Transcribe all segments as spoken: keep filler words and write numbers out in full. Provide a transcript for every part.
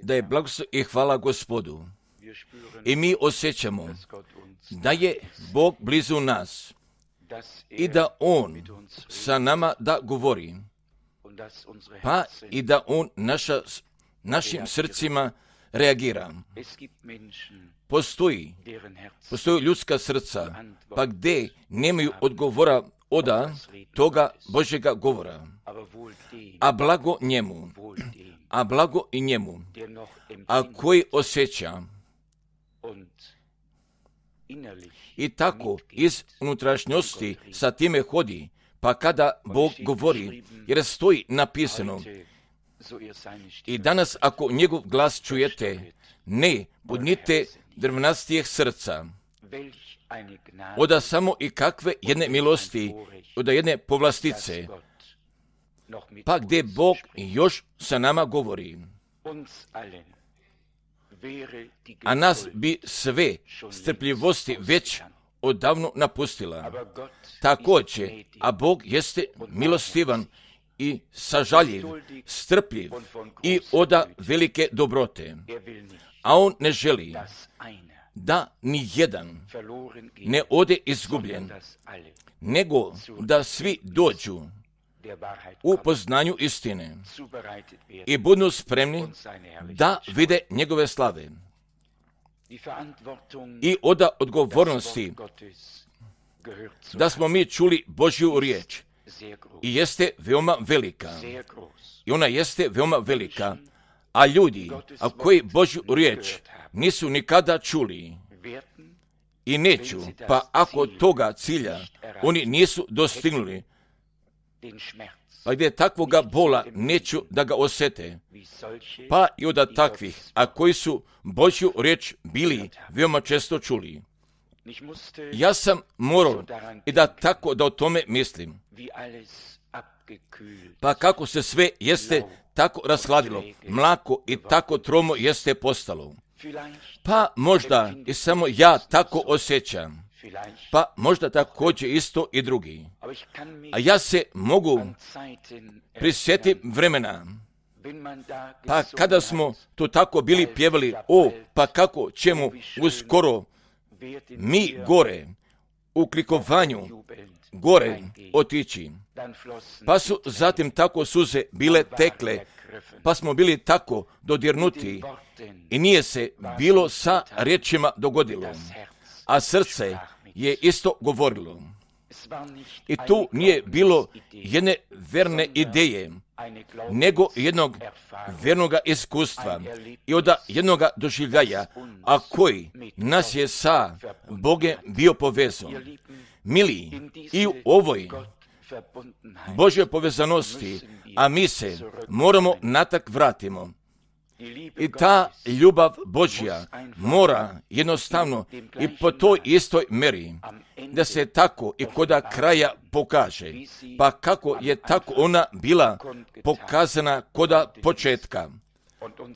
da je blagoslov i hvala Gospodu. I mi osjećamo da je Bog blizu nas i da On sa nama da govori, pa i da On naša, našim srcima reagira. Postoji, postoji ljudska srca, pa gdje nemaju odgovora oda toga Božjega govora, a blago njemu, a blago i njemu, a koji osjeća i tako iz unutrašnjosti sa time hodi, pa kada Bog govori, jer stoji napisano, i danas ako njegov glas čujete, ne budnite drvnastijeg srca, oda samo i kakve jedne milosti, oda jedne povlastice, pa gdje Bog još sa nama govori. A nas bi sve strpljivosti već odavno napustila. Također, a Bog jeste milostivan i sažaljiv, strpljiv i oda velike dobrote. A On ne želi da ni jedan ne ode izgubljen, nego da svi dođu u poznanju istine i budu spremni da vide njegove slave. I oda odgovornosti da smo mi čuli Božju riječ i jeste veoma velika. I ona jeste veoma velika, a ljudi, a koji Božju riječ nisu nikada čuli i neću, pa ako toga cilja oni nisu dostignuli, pa gdje takvoga bola neću da ga osjete, pa i od takvih, a koji su Božju riječ bili veoma često čuli. Ja sam morao i da tako da o tome mislim. Pa kako se sve jeste tako rashladilo, mlako i tako tromo jeste postalo. Pa možda i samo ja tako osjećam. Pa možda također isto i drugi. A ja se mogu prisjetiti vremena, pa kada smo tu tako bili pjevali, o, pa kako ćemo uskoro mi gore, u klikovanju, gore otići. Pa su zatim tako suze bile tekle, pa smo bili tako dodirnuti i nije se bilo sa riječima dogodilo, a srce je isto govorilo. I tu nije bilo jedne verne ideje, nego jednog vernoga iskustva i od jednoga doživljaja, a koji nas je sa Bogem bio povezao. Mili, i u ovoj Božjoj povezanosti, a mi se moramo natak vratimo. I ta ljubav Božja mora jednostavno i po toj istoj meri da se tako i koda kraja pokaže. Pa kako je tako ona bila pokazana koda početka.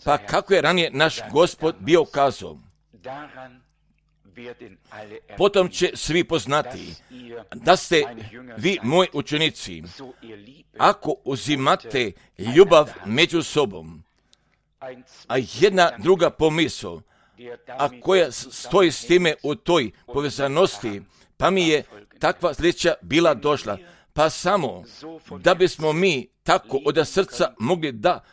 Pa kako je ranije naš Gospod bio kazao. Potom će svi poznati da ste vi moji učenici, ako uzimate ljubav među sobom. A jedna druga pomisao, a koja stoji s time u toj povezanosti, pa mi je takva sljedeća bila došla. Pa samo da bismo mi tako od srca mogli da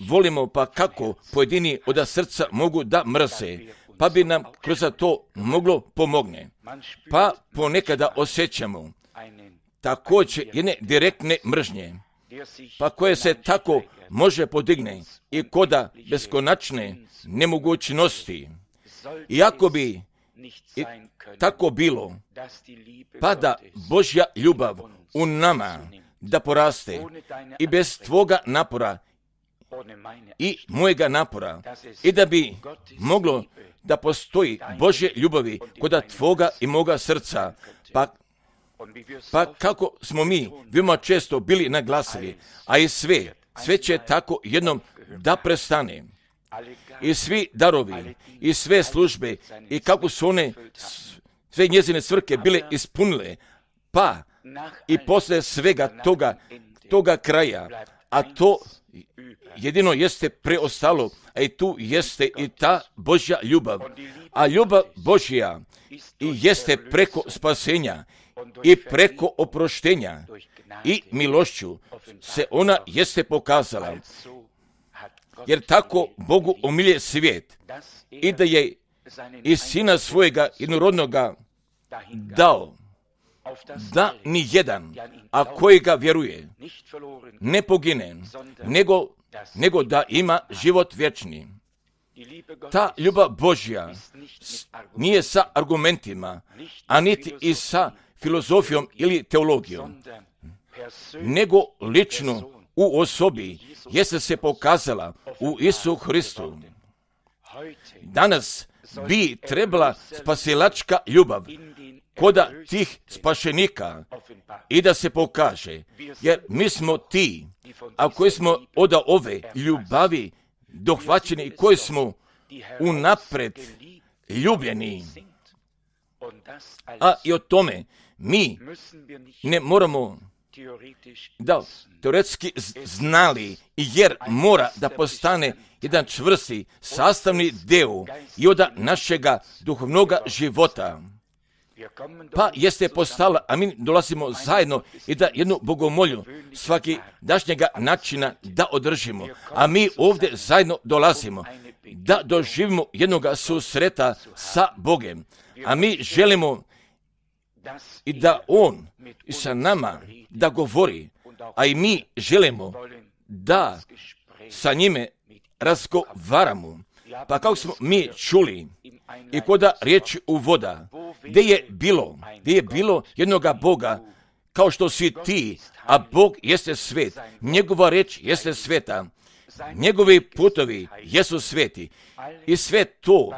volimo, pa kako pojedini od srca mogu da mrze, pa bi nam kroz to moglo pomogne. Pa ponekada osjećamo također jedne direktne mržnje, pa koje se tako može podigne i koda beskonačne nemogućnosti. Iako bi i tako bilo, pa da Božja ljubav u nama da poraste i bez tvoga napora i mojega napora i da bi moglo da postoji Božje ljubavi koda tvoga i moga srca, pa Pa kako smo mi veoma često bili naglasili, a i sve, sve će tako jednom da prestane. I svi darovi, i sve službe, i kako su one sve njezine svrhe bile ispunile, pa i posle svega toga, toga kraja, a to jedino jeste preostalo, a i tu jeste i ta Božja ljubav. A ljubav Božja i jeste preko spasenja i preko oproštenja i milošću se ona jeste pokazala. Jer tako Bogu omilje svijet i da je i sina svojega jednorodnoga dao, da ni jedan, a koji ga vjeruje, ne pogine, nego, nego da ima život vječni. Ta ljubav Božja nije sa argumentima, a niti i sa filozofijom ili teologijom, nego lično u osobi jeste se pokazala u Isu Hristu. Danas bi trebala spasilačka ljubav koda tih spašenika i da se pokaže, jer mi smo ti, a koji smo od ove ljubavi dohvaćeni i koji smo unapred ljubljeni. A i o tome mi ne moramo da teoretski znali, jer mora da postane jedan čvrsti sastavni deo i od našega duhovnoga života. Pa jeste postala, a mi dolazimo zajedno i da jednu bogomolju svaki dašnjega načina da održimo. A mi ovdje zajedno dolazimo da doživimo jednog susreta sa Bogem. A mi želimo i da On i sa nama da govori, a i mi želimo da sa njime razgovaramo. Pa kako smo mi čuli i koda riječi uvoda, gdje je bilo, gdje je bilo jednoga Boga, kao što si ti, a Bog jeste svet, njegova riječ jeste sveta, njegovi putovi jesu sveti i sve to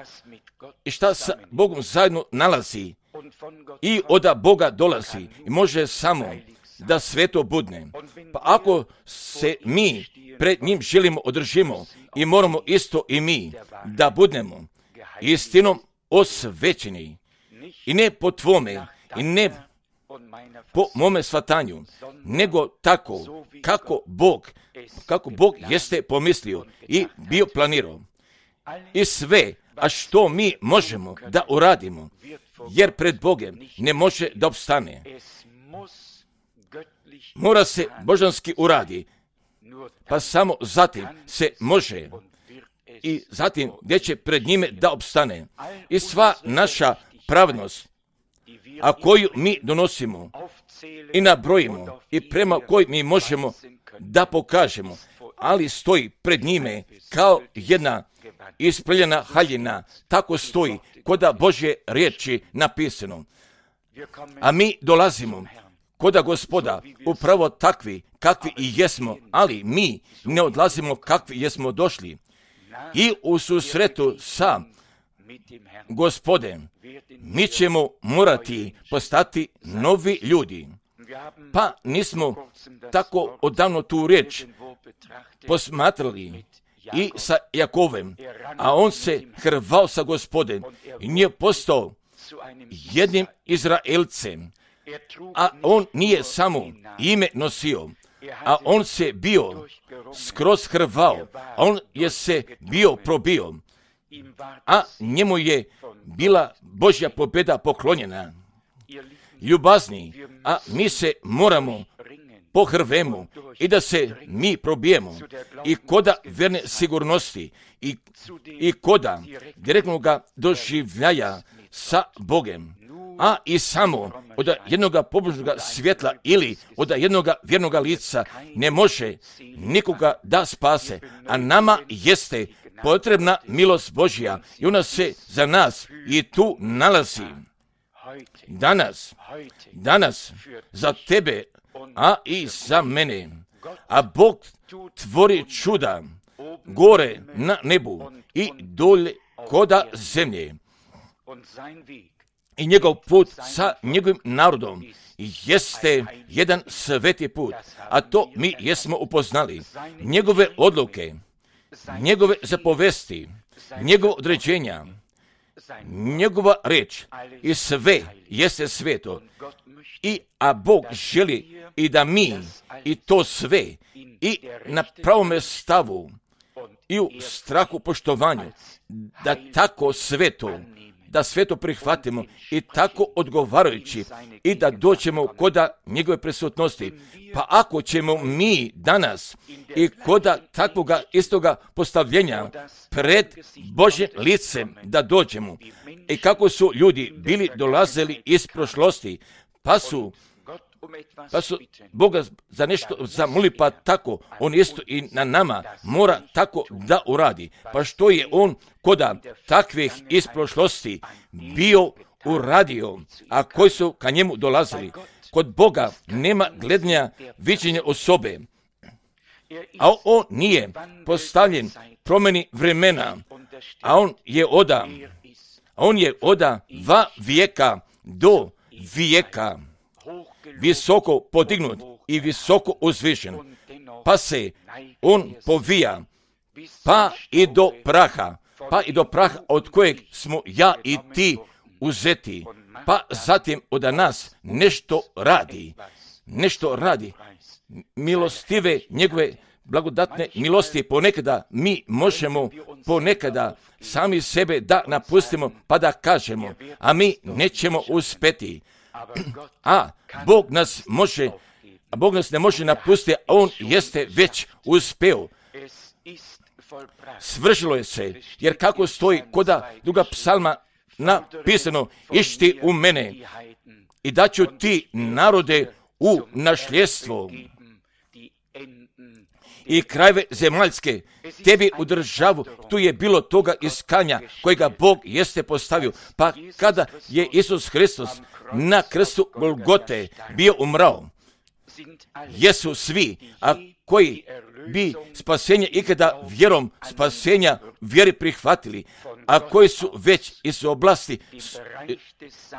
i šta sa Bogom zajedno nalazi i od Boga dolazi i može samo da sveto budne. Pa ako se mi pred njim želimo održimo i moramo isto i mi da budnemo istinom osvećeni i ne po tvome i ne po mome shvatanju, nego tako kako Bog, kako Bog jeste pomislio i bio planirao. I sve, a što mi možemo da uradimo, jer pred Bogem ne može da opstane. Mora se božanski uradi, pa samo zatim se može i zatim gdje će pred njime da opstane. I sva naša pravnost, a koju mi donosimo i nabrojimo i prema kojoj mi možemo da pokažemo, ali stoji pred njime kao jedna ispreljena haljina, tako stoji koda Božje riječi napisano. A mi dolazimo koda Gospoda upravo takvi kakvi i jesmo, ali mi ne odlazimo kakvi jesmo došli. I u susretu sa Gospodem mi ćemo morati postati novi ljudi. Pa nismo tako odavno tu riječ posmatrali i sa Jakovem, a on se hrvao sa Gospodem i nije postao jednim Izraelcem, a on nije samo ime nosio, a on se bio skroz hrvao, a on je se bio probio, a njemu je bila Božja pobjeda poklonjena. Ljubazni, a mi se moramo pohrvemo i da se mi probijemo i koda verne sigurnosti i, i koda direktnog doživljaja sa Bogem, a i samo od jednog pobožnog svjetla ili od jednog vjernog lica ne može nikoga da spase, a nama jeste potrebna milost Božja i ona se za nas i tu nalazi. Danas, danas za tebe, a i za mene. A Bog tvori čuda gore na nebu i dolje koda zemlje. I njegov put sa njegovim narodom jeste jedan sveti put, a to mi jesmo upoznali. Njegove odluke, njegove zapovesti, njegove određenja njegova reč i sve jeste sveto. I, a Bog želi i da mi i to sve i na pravome stavu i u strahu poštovanju, da tako sveto, da sveto prihvatimo i tako odgovarajući i da dođemo koda njegove prisutnosti. Pa ako ćemo mi danas i koda takvoga istoga postavljenja pred Božje licem da dođemo i kako su ljudi bili dolazili iz prošlosti, pa su pa su Boga za nešto zamoli, pa tako on isto i na nama mora tako da uradi. Pa što je on koda takvih iz prošlosti bio uradio, a koji su ka njemu dolazili? Kod Boga nema gledanja viđenja osobe, a on nije postavljen promjeni vremena, a on je oda, a on je oda va vijeka do vijeka, visoko podignut i visoko uzvišen, pa se on povija, pa i do praha, pa i do praha od kojeg smo ja i ti uzeti, pa zatim od nas nešto radi, nešto radi, milostive njegove blagodatne milosti. Ponekada mi možemo ponekada sami sebe da napustimo pa da kažemo, a mi nećemo uspjeti. A Bog nas može, a Bog nas ne može napustiti, a on jeste već uspeo. Svršilo je se, jer kako stoji koda druga psalma napisano, išti u mene i daću ti narode u nasljedstvo i krajeve zemaljske tebi u državu. Tu je bilo toga iskanja kojega Bog jeste postavio. Pa kada je Isus Hristos na krstu Golgote bio umrao, jesu svi, a koji bi spasenje ikada vjerom spasenja vjeri prihvatili, a koji su već iz oblasti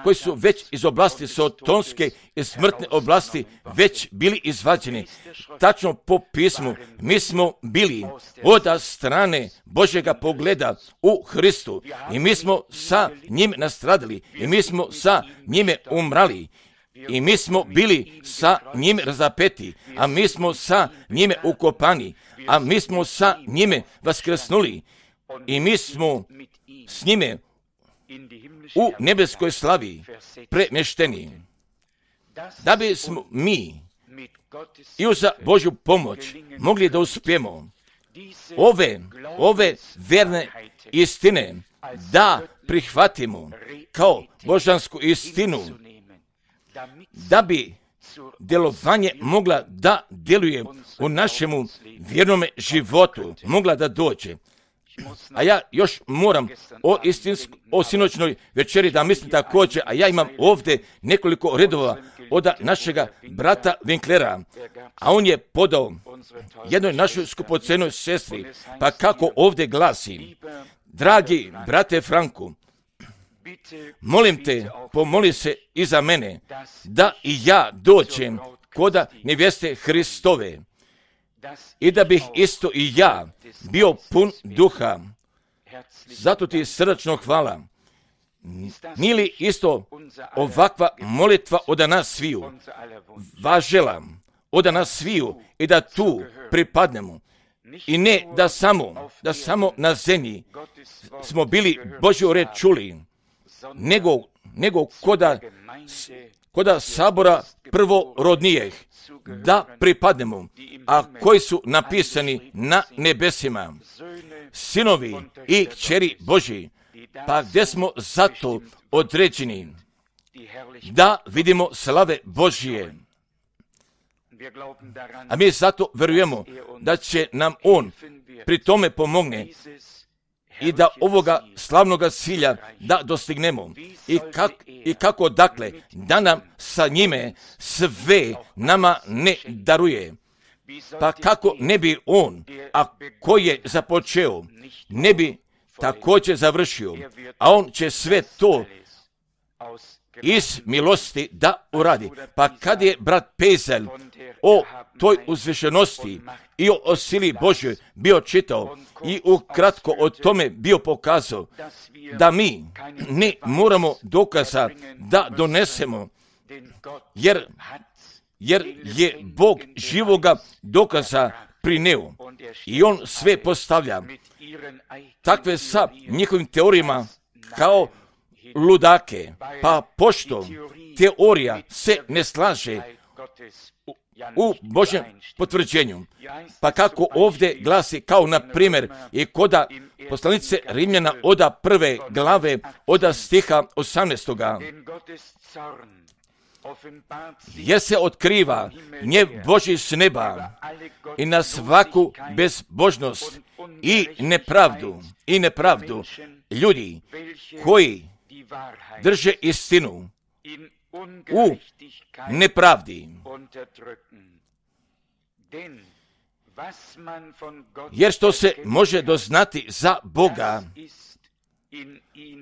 koji su već iz oblasti sotonske i smrtne oblasti već bili izvađeni. Tačno po pismu, mi smo bili od strane Božjega pogleda u Hristu i mi smo sa njim nastradali i mi smo sa njime umrali. I mi smo bili sa njime razapeti, a mi smo sa njime ukopani, a mi smo sa njime vaskrsnuli i mi smo s njime u nebeskoj slavi premješteni. Da bismo mi i uz Božju pomoć mogli da uspijemo ove, ove verne istine da prihvatimo kao božansku istinu, da bi djelovanje mogla da djeluje u našemu vjernome životu, mogla da dođe. A ja još moram o, istinsk, o sinoćnoj večeri da mislim također, a ja imam ovdje nekoliko redova od našega brata Winklera, a on je podao jednoj našoj skupocenoj sestri, pa kako ovdje glasi: dragi brate Franku, molim te, pomoli se i za mene, da i ja dođem koda nevjeste Hristove i da bih isto i ja bio pun duha. Zato ti srdačno hvala. Nije li isto ovakva molitva od nas sviju važela, od nas sviju i da tu pripadnemo? I ne da samo, da samo na zemlji smo bili Božju reč čuli, nego, nego koda, koda sabora prvorodnijih, da pripadnemo, a koji su napisani na nebesima, sinovi i kćeri Božji, pa gdje smo zato određeni da vidimo slave Božije. A mi zato verujemo da će nam On pri tome pomogne i da ovoga slavnoga cilja da dostignemo. I, kak, I kako dakle da nam sa njime sve nama ne daruje. Pa kako ne bi On, a koji je započeo, ne bi također završio, a On će sve to iz milosti da uradi. Pa kad je brat Pezel o toj uzvišenosti i o sili Božjoj bio čitao i ukratko o tome bio pokazao da mi ne moramo dokaza da donesemo, jer, jer je Bog živoga dokaza prineo i on sve postavlja takve sa njihovim teorijama kao ludake, pa pošto teorija se ne slaže u, u Božjem potvrđenju, pa kako ovdje glasi kao na primjer i koda poslanice Rimljana oda prve glave oda stiha osamnaestoga, jer se otkriva gnjev Božji s neba i na svaku bezbožnost i nepravdu i nepravdu ljudi koji drže istinu u nepravdi. Jer što se može doznati za Boga,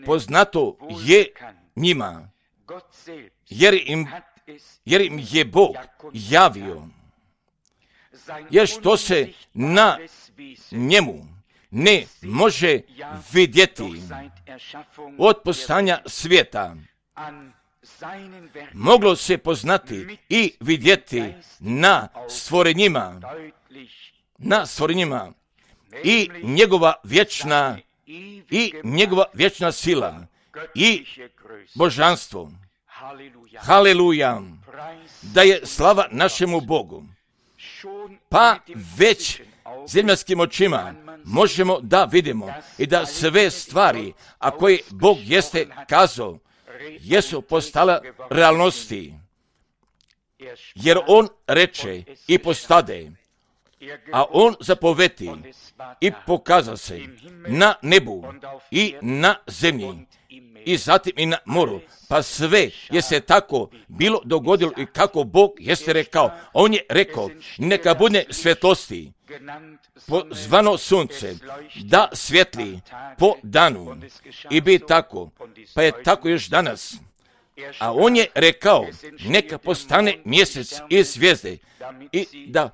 poznato je njima, jer im, jer im je Bog javio. Jer što se na njemu ne može vidjeti od postanja svijeta, moglo se poznati i vidjeti na stvorenjima, na stvorenjima i njegova vječna i njegova vječna sila i božanstvo. Haleluja, da je slava našemu Bogu. Pa već zemaljskim očima možemo da vidimo i da sve stvari, a koje Bog jeste kazao, jesu postala realnosti. Jer on reče i postade, a on zapoveti i pokaza se na nebu i na zemlji i zatim i na moru. Pa sve je se tako bilo dogodilo i kako Bog jeste rekao. On je rekao, neka bude svjetlosti, zvano sunce, da svjetli po danu i bi tako. Pa je tako još danas. A on je rekao, neka postane mjesec i zvijezde i da,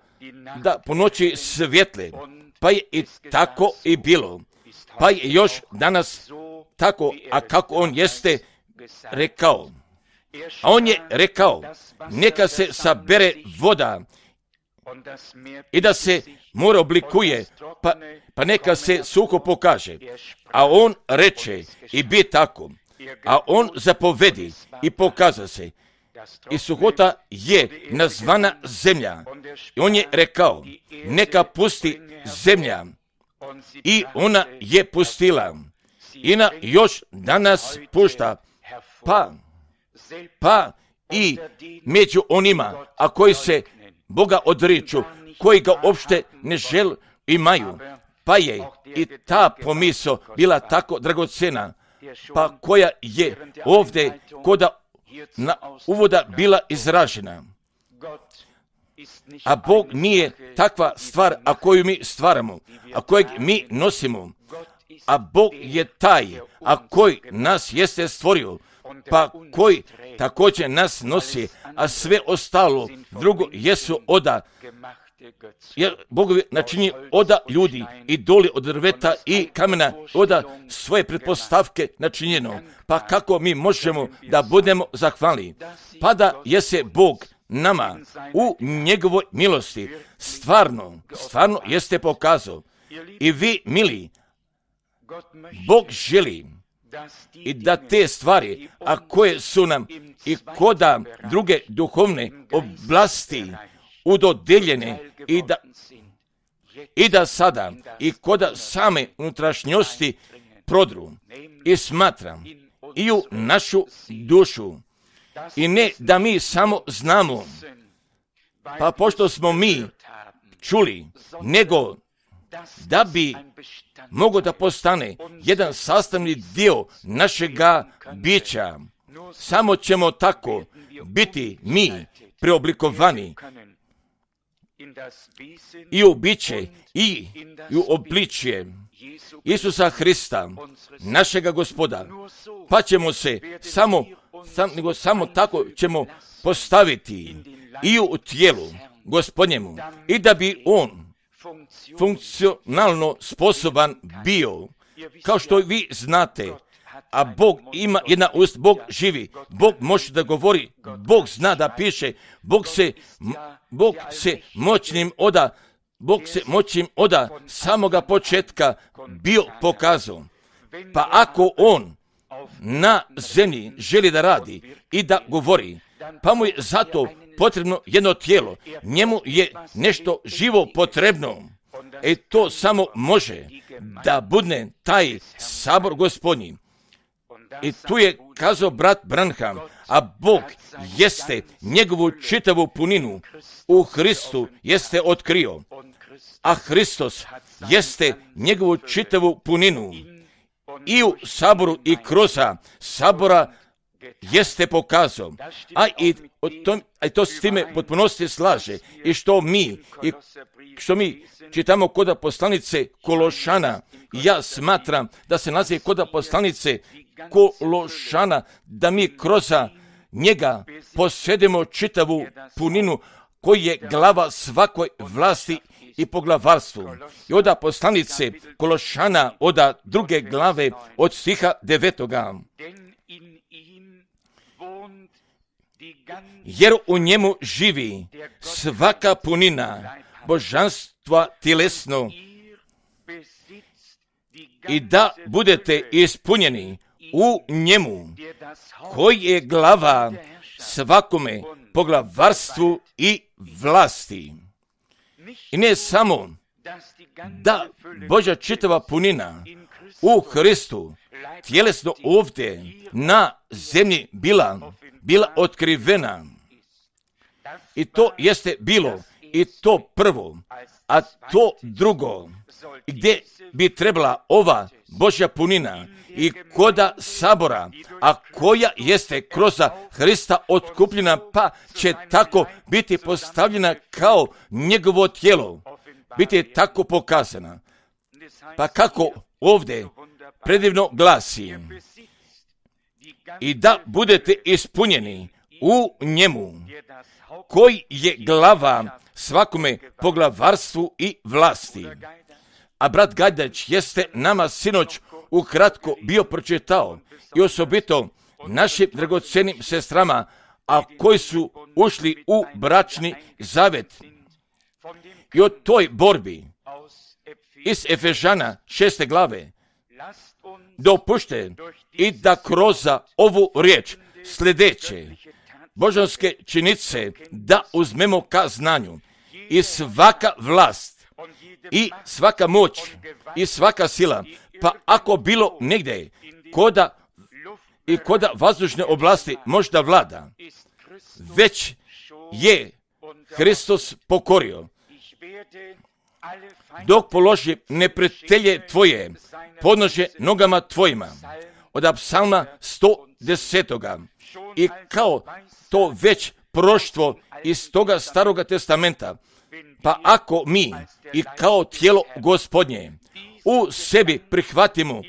da po noći svjetle. Pa je i tako i bilo. Pa je još danas tako, a kako on jeste rekao. A on je rekao, neka se sabere voda i da se more oblikuje, pa, pa neka se suho pokaže. A on reče i bi tako. A on zapovedi i pokaza se. I suhota je nazvana zemlja. I on je rekao, neka pusti zemlja. I ona je pustila. I na još danas pušta. Pa, pa i među onima, a koji se Boga odriču, koji ga uopšte ne žel imaju. Pa je i ta pomisao bila tako dragocena, pa koja je ovdje koda na uvoda bila izražena. A Bog nije takva stvar, a koju mi stvaramo, a kojeg mi nosimo. A Bog je taj, a koji nas jeste stvorio, pa koji također nas nosi, a sve ostalo drugo jesu oda. Jer Bog načini oda ljudi i doli od drveta i kamena, oda svoje pretpostavke načinjeno. Pa kako mi možemo da budemo zahvalni? Pa da je se Bog nama u njegovoj milosti stvarno, stvarno jeste pokazao. I vi, mili, Bog želi i da te stvari, a koje su nam i koda druge duhovne oblasti udodeljene i da, i da sada i koda same unutrašnjosti prodru i smatram i u našu dušu. I ne da mi samo znamo, pa pošto smo mi čuli, nego da bi mogo da postane jedan sastavni dio našega bića. Samo ćemo tako biti mi preoblikovani i u biće i u obličje Isusa Hrista, našega Gospoda, pa ćemo se samo sam, nego samo tako ćemo postaviti i u tijelu Gospodnjemu i da bi on funkcionalno sposoban bio, kao što vi znate, a Bog ima jedna ust, Bog živi, Bog može da govori, Bog zna da piše, Bog se, Bog se moćnim oda, Bog se moćnim oda samoga početka bio pokazao. Pa ako on na zemlji želi da radi i da govori, pa mu je zato potrebno jedno tijelo, njemu je nešto živo potrebno. E to samo može da budne taj sabor Gospodnji. I tu je kazao brat Branham, a Bog jeste njegovu čitavu puninu u Hristu jeste otkrio, a Hristos jeste njegovu čitavu puninu i u saboru i kroz sabora jeste pokazao, a i to, a to s time potpunosti slaže i što mi i što mi čitamo kod poslanice Kološana. Ja smatram da se nalazi kod poslanice Kološana, da mi kroz njega posjedimo čitavu puninu koji je glava svakoj vlasti i poglavarstvu. I od poslanice Kološana od druge glave od stiha devetoga. Jer u njemu živi svaka punina božanstva tjelesno i da budete ispunjeni u njemu koji je glava svakome poglavarstvu i vlasti. I ne samo da Božja čitava punina u Hristu tjelesno ovdje na zemlji bila, bila otkrivena. I to jeste bilo i to prvo, a to drugo, gdje bi trebala ova Božja punina i koda sabora, a koja jeste kroz Hrista otkupljena, pa će tako biti postavljena kao njegovo tijelo, biti tako pokazana. Pa kako ovdje predivno glasi, i da budete ispunjeni u njemu, koji je glava svakome poglavarstvu i vlasti. A brat Gajdać jeste nama sinoć ukratko bio pročitao i osobito našim dragocenim sestrama, a koji su ušli u bračni zavet. I o toj borbi iz Efežana šeste glave dopušte i da kroz ovu riječ sljedeće božanske činice da uzmemo ka znanju i svaka vlast i svaka moć i svaka sila, pa ako bilo negdje koda i koda vazdušne oblasti možda vlada, već je Hristos pokorio. Dok položi neprijatelje tvoje, podnože nogama tvojima. Od psalma sto deset. I kao to već proštvo iz toga staroga testamenta, pa ako mi i kao tijelo Gospodnje u sebi prihvatimo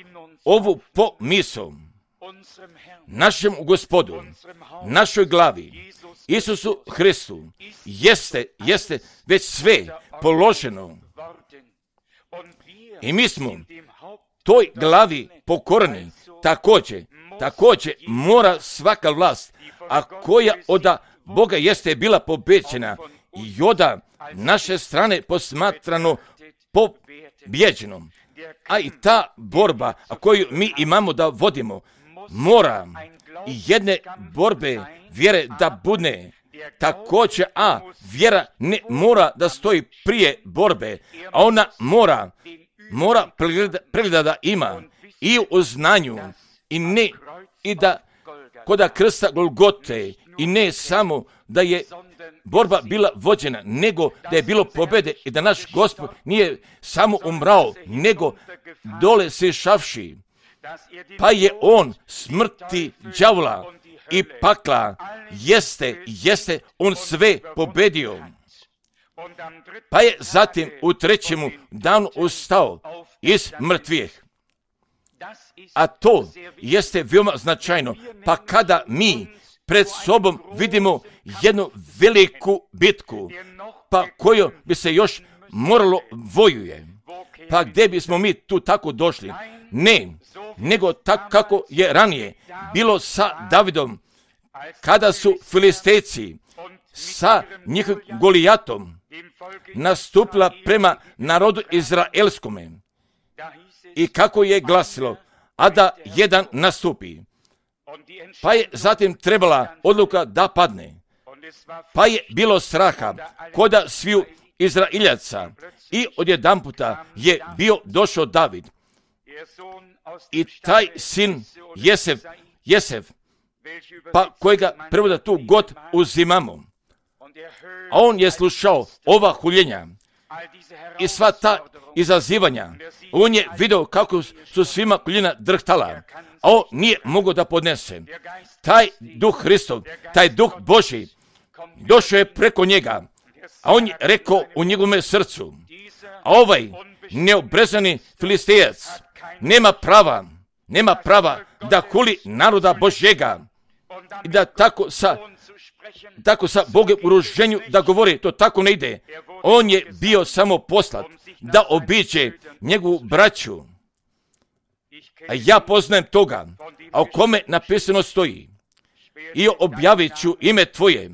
ovu pomisao, našem Gospodu, našoj glavi, Isusu Hristu, jeste, jeste već sve položeno. I mi smo toj glavi pokorni, također, također mora svaka vlast, a koja od Boga jeste bila pobeđena i od naše strane posmatrano pobjeđenom. A i ta borba koju mi imamo da vodimo, mora i jedne borbe vjere da budne također, a vjera ne mora da stoji prije borbe, a ona mora, mora pregleda da ima i u znanju i ne, i da koda krsta Golgote, i ne samo da je borba bila vođena, nego da je bilo pobjede i da naš Gospod nije samo umrao, nego dole se šavši, pa je on smrti đavola i pakla, jeste, jeste on sve pobedio. Pa je zatim u trećemu danu ustao iz mrtvih. A to jeste veoma značajno. Pa kada mi pred sobom vidimo jednu veliku bitku, pa koju bi se još moralo vojuje, pa gdje bismo mi tu tako došli? Ne, nego tako kako je ranije bilo sa Davidom, kada su Filistejci sa njihovim Golijatom nastupila prema narodu izraelskome. I kako je glasilo, a da jedan nastupi. Pa je zatim trebala odluka da padne. Pa je bilo straha koda sviju Izraeljaca i odjedanputa je bio došao David. I taj sin Jesef, Jesef, pa kojega prevoda tu god uzimamo. A on je slušao ova huljenja i sva ta izazivanja. On je vidio kako su svima koljena drhtala, a on nije mogao da podnese. Taj duh Hristov, taj duh Božji, došao je preko njega, a on je rekao u njegovome srcu, a ovaj neobrezani Filistejac nema prava, nema prava da huli naroda Božjega i da tako sa tako sa Bogom u ruženju da govori, to tako ne ide. On je bio samo poslat da obiđe njegovu braću. A ja poznajem toga, a o kome napisano stoji. I objavit ću ime tvoje,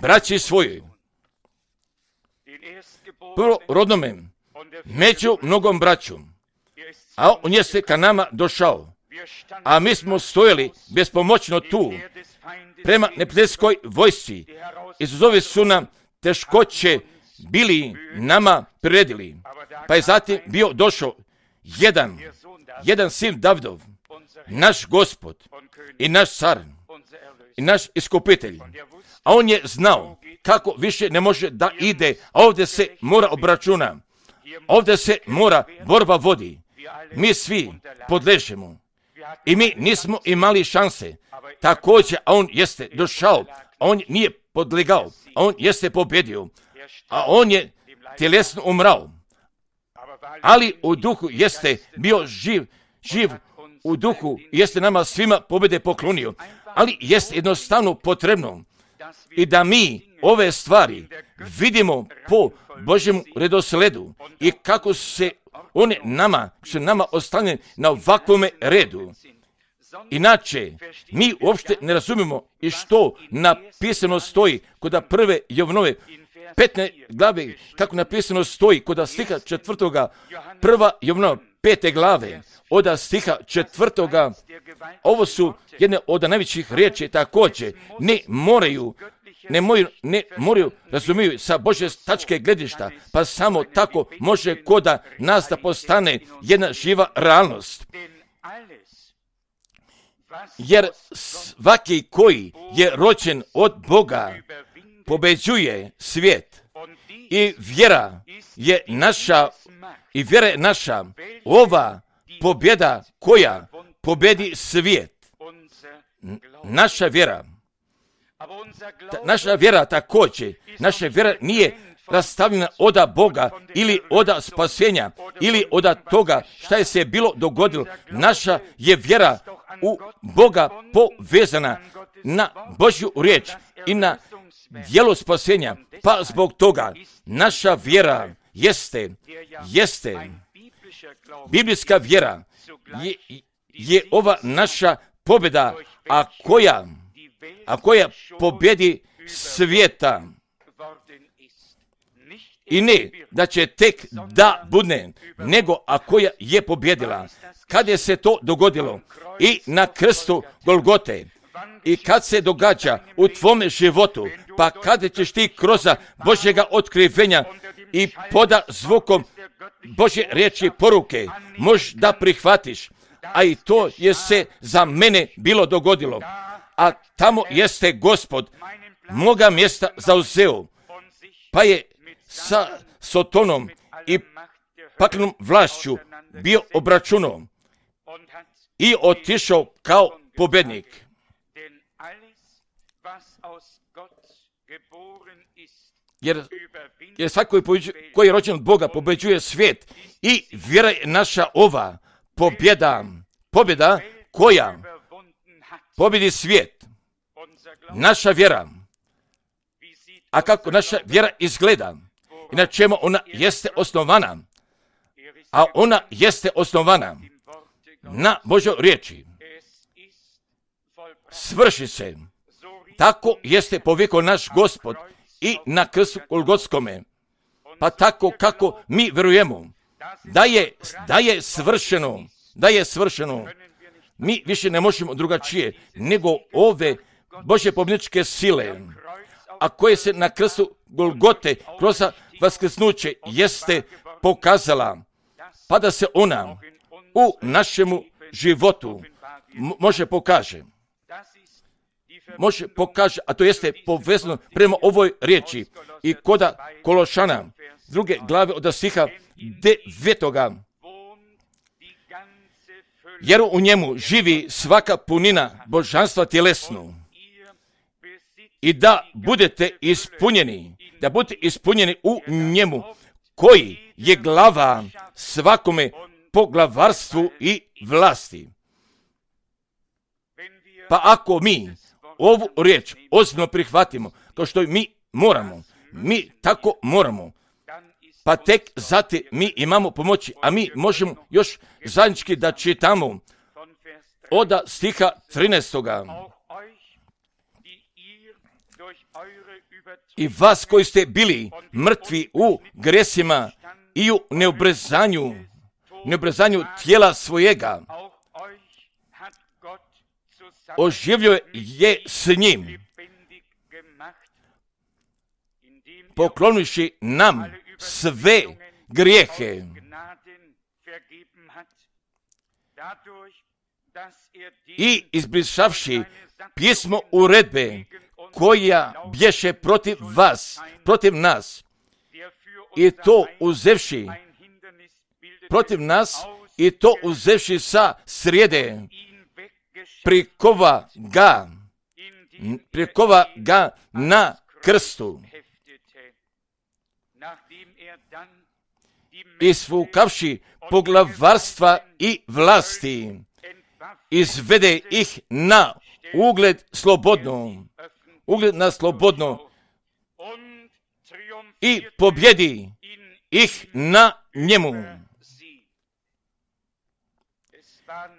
braći svojoj. Prvorodnome, među mnogom braću. A on je se ka nama došao. A mi smo stojali bespomoćno tu, prema neprijateljskoj vojsci. Izazovi su nam teškoće bili nama priredili. Pa je zatim bio došao jedan, jedan sin Davidov, naš Gospod i naš car i naš iskupitelj. A on je znao kako više ne može da ide, a ovdje se mora obračuna. Ovdje se mora borba vodi. Mi svi podležemo. I mi nismo imali šanse. Također, a on jeste došao, a on nije podlegao, a on jeste pobjedio, a on je tjelesno umrao. Ali u duhu jeste bio živ, živ u duhu, jeste nama svima pobjede poklonio. Ali jeste jednostavno potrebno i da mi ove stvari vidimo po Božjem redosledu i kako se one nama, su nama ostavljene na ovakvome redu. Inače, mi uopšte ne razumijemo i što napisano stoji kod prve Jovanove petnaeste glave, kako napisano stoji kod stiha četvrtoga, prva Jovanova pete glave, od stiha četvrtoga. Ovo su jedne od najvećih riječi također. Ne moraju, ne moraju, ne moraju razumiju sa Božje tačke gledišta, pa samo tako može koda nas da postane jedna živa realnost. Jer svaki koji je rođen od Boga pobeđuje svijet i vjera je naša i vjera je naša ova pobjeda koja pobjedi svijet. Naša vjera, ta, naša vjera također, naša vjera nije rastavljena oda Boga ili oda spasenja ili oda toga šta je se bilo dogodilo. Naša je vjera u Boga povezana na Božju riječ i na djelo spasenja. Pa zbog toga naša vjera jeste, jeste, biblijska vjera je, je ova naša pobjeda, a koja, a koja pobjedi svijeta. I ne da će tek da budne, nego a koja je pobjedila. Kad je se to dogodilo i na krstu Golgote i kad se događa u tvome životu, pa kada ćeš ti kroz Božjega otkrivenja i poda zvukom Božje riječi poruke, možeš da prihvatiš, a i to je se za mene bilo dogodilo. A tamo jeste Gospod moga mjesta zauzeo, pa je sa Sotonom i paklenom vlašću bio obračunom i otišao kao pobjednik. Jer, jer svaki koji, koji je rođen od Boga pobeđuje svijet i vjera je naša ova pobjeda, pobjeda koja pobjedi svijet. Naša vjera. A kako naša vjera izgleda i na čemu ona jeste osnovana? A ona jeste osnovana na Božoj riječi. Svrši se. Tako jeste povijekao naš Gospod i na krstu Golgotskome. Pa tako kako mi vjerujemo da je, da je svršeno, da je svršeno. Mi više ne možemo drugačije nego ove Božje pobjedničke sile, a koje se na krstu Golgote kroz vaskrsnuće jeste pokazala, pa da se ona u našemu životu m- može pokaže. Može pokaže, a to jeste povezano prema ovoj riječi i koda Kološana, druge glave od stiha devetoga. Jer u njemu živi svaka punina božanstva tjelesnu. I da budete ispunjeni, da budete ispunjeni u njemu, koji je glava svakome poglavarstvu i vlasti. Pa ako mi ovu riječ ozbiljno prihvatimo, kao što mi moramo, mi tako moramo, pa tek zatim mi imamo pomoći, a mi možemo još zajednički da čitamo od stiha trinaestoga. I vas koji ste bili mrtvi u gresima i u neobrezanju, neobrezanju tijela svojega, oživljio je s njim, poklonivši nam sve grijehe i izbrisavši pismo uredbe koja bješe protiv vas, protiv nas, i to uzevši protiv nas, i to uzevši sa srijede, prikova ga, prikova ga na krstu, isfukavši poglavarstva i vlasti, izvede ih na ugled slobodno, ugled na slobodno i pobjedi ih na njemu.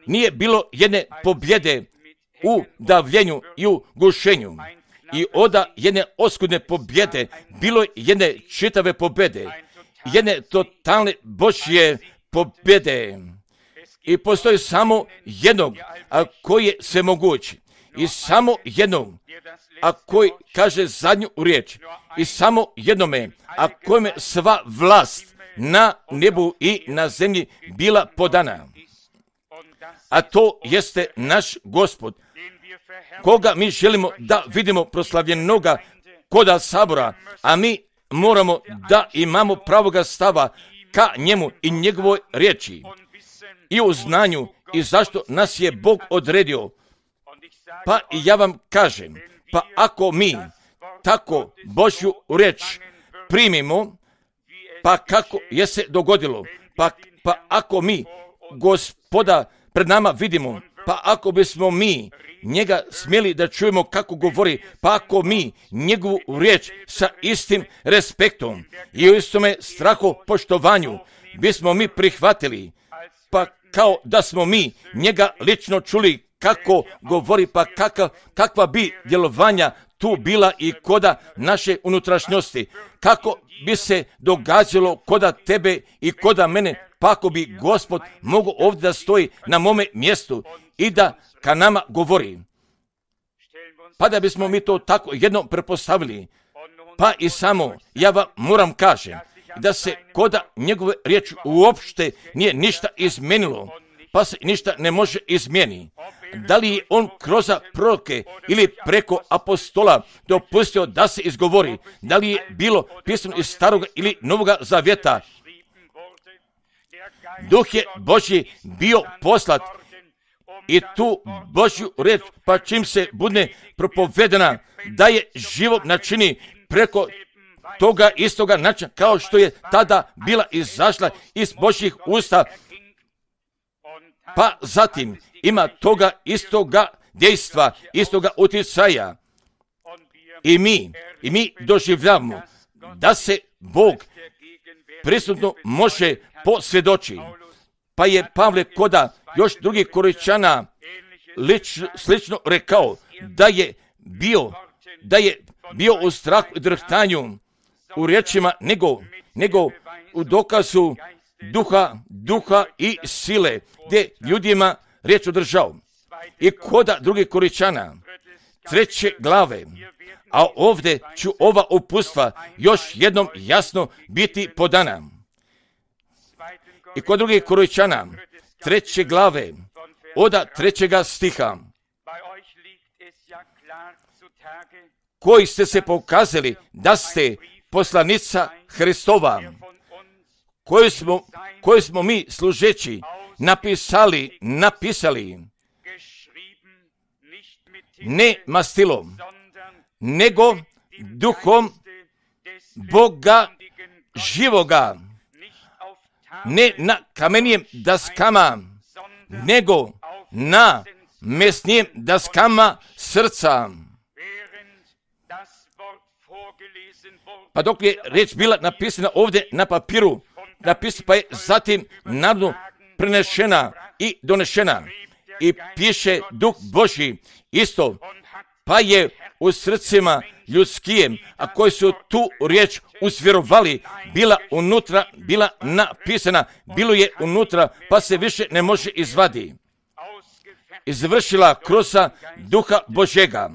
Nije bilo jedne pobjede u davljenju i u gušenju i oda jedne oskudne pobjede, bilo je jedne čitave pobjede, jedne totalne Božje pobjede. I postoji samo jednog, a koji je svemogući, i samo jednog, a koji kaže zadnju riječ, i samo jednome, a kojeme sva vlast na nebu i na zemlji bila podana. A to jeste naš Gospod, koga mi želimo da vidimo proslavljenoga koda sabora, a mi moramo da imamo pravoga stava ka njemu i njegovoj riječi i u znanju i zašto nas je Bog odredio. Pa i ja vam kažem, pa ako mi tako Božju riječ primimo, pa kako je se dogodilo, pa, pa ako mi Gospoda pred nama vidimo, pa ako bismo mi njega smjeli da čujemo kako govori, pa ako mi njegovu riječ sa istim respektom i u istome strahu poštovanju bismo mi prihvatili, pa kao da smo mi njega lično čuli kako govori, pa kakav, kakva bi djelovanja tu bila i koda naše unutrašnjosti, kako bi se događalo koda tebe i koda mene, pa ako bi Gospod mogu ovdje da stoji na mome mjestu i da ka nama govori. Pa da bismo mi to tako jednom prepostavili, pa i samo ja vam moram kažem da se koda njegove riječi uopšte nije ništa izmenilo, pa se ništa ne može izmijeni. Da li je on kroz proroke ili preko apostola dopustio da se izgovori, da li je bilo pisano iz staroga ili novoga zavjeta, Duh je Božji bio poslat i tu Božju riječ, pa čim se bude propovedena, da je život načini preko toga istoga načina, kao što je tada bila izašla iz Božjih usta, pa zatim ima toga istoga dejstva, istoga utjecaja. I mi, i mi doživljavamo da se Bog prisutno može posvjedoči. Pa je Pavle koda još drugih Korinćana lič, slično rekao da je bio, da je bio u strahu i drhtanju u riječima nego, nego u dokazu duha, duha i sile, gdje ljudima riječ održao. I koda drugih Korinćana, treće glave, a ovdje ću ova upustva još jednom jasno biti podana. I kod drugih Korinćana, treće glave, oda trećega stiha, koji ste se pokazali da ste poslanica Hristova, koju smo, koju smo mi služeći napisali, napisali, ne mastilom, nego duhom Boga živoga, ne na kamenijem daskama, nego na mesnijem daskama srca. Pa dok je riječ bila napisana ovdje na papiru, napisana pa je zatim narodu prenešena i donešena. I piše Duh Božji isto, pa je u srcima ljudskijem, a koji su tu riječ usvjerovali, bila unutra, bila napisana, bilo je unutra, pa se više ne može izvadi. Izvršila kroz Duha Božjega.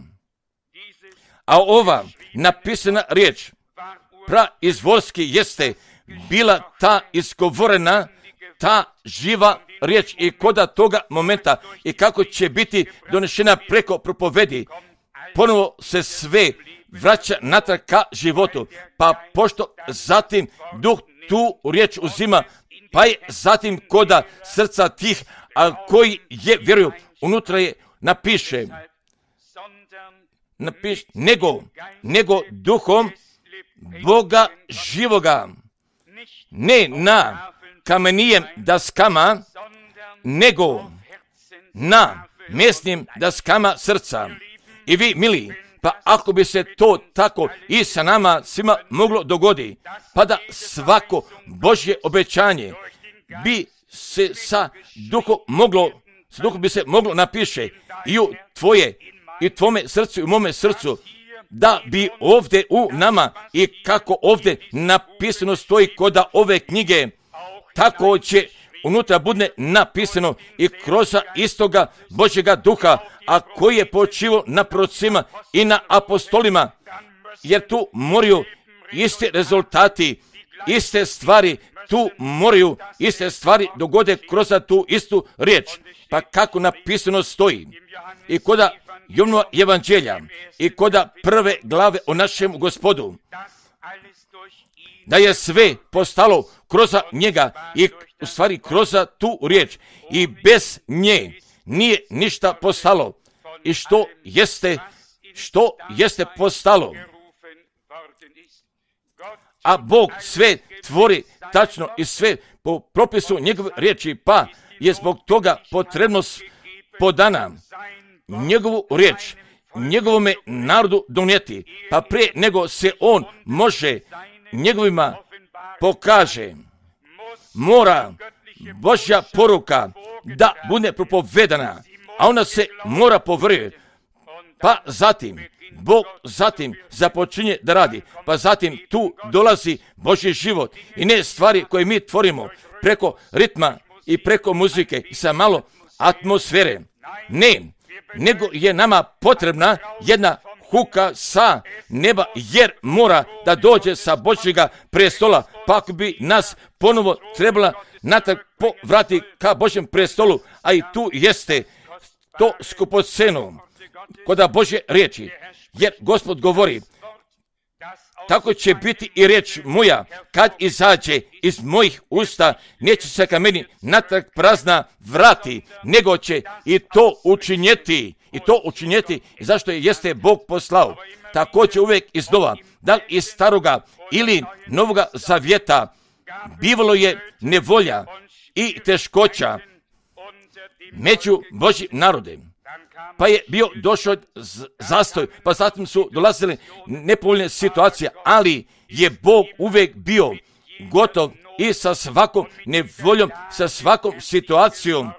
A ova napisana riječ, praizvorski jeste bila ta izgovorena, ta živa riječ i koda toga momenta i kako će biti donešena preko propovedi, ponovo se sve vraća natrag ka životu, pa pošto zatim Duh tu riječ uzima, pa je zatim koda srca tih, a koji je vjeruju, unutra je napiše, napiše, nego, nego duhom Boga živoga, ne na kamenijem daskama, nego na mesnim daskama srca. I vi, mili, pa ako bi se to tako i sa nama svima moglo dogodi, pa da svako Božje obećanje bi se sa duhom moglo, sa duhom bi se moglo napiše i u tvoje, i tvome srcu i u mome srcu, da bi ovdje u nama i kako ovdje napisano stoji koda ove knjige, tako će unutra bude napisano i kroz istoga Božjega duha, a koji je počivao na prorocima i na apostolima, jer tu moraju iste rezultati, iste stvari, tu moraju iste stvari dogode kroz tu istu riječ. Pa kako napisano stoji i koda Jovnova evanđelja i koda prve glave o našem Gospodu, da je sve postalo kroz njega i u stvari kroz tu riječ i bez nje nije ništa postalo. I što jeste, što jeste postalo? A Bog sve tvori tačno i sve po propisu njegove riječi, pa je zbog toga potrebno podana njegovu riječ njegovome narodu donijeti, pa prije nego se on može njegovima pokaže, mora Božja poruka da bude propovedana, a ona se mora povrjeti. Pa zatim Bog zatim započinje da radi, pa zatim tu dolazi Božji život i ne stvari koje mi tvorimo preko ritma i preko muzike i sa malo atmosfere. Ne, nego je nama potrebna jedna huka sa neba, jer mora da dođe sa Božjega prestola, pa ako bi nas ponovo trebala natrag povrati ka Božjem prestolu, a i tu jeste to skupoceno koda Božje riječi, jer Gospod govori, tako će biti i riječ moja kad izađe iz mojih usta, neće se ka meni natrag prazna vrati, nego će i to učinjeti, i to učinjeti, zašto je jeste Bog poslao. Tako će uvijek iznova, da li iz staroga ili novoga zavjeta, bivalo je nevolja i teškoća među Božjim narodem. Pa je bio došao zastoj, pa zatim su dolazile nepovoljne situacije, ali je Bog uvijek bio gotov i sa svakom nevoljom, sa svakom situacijom,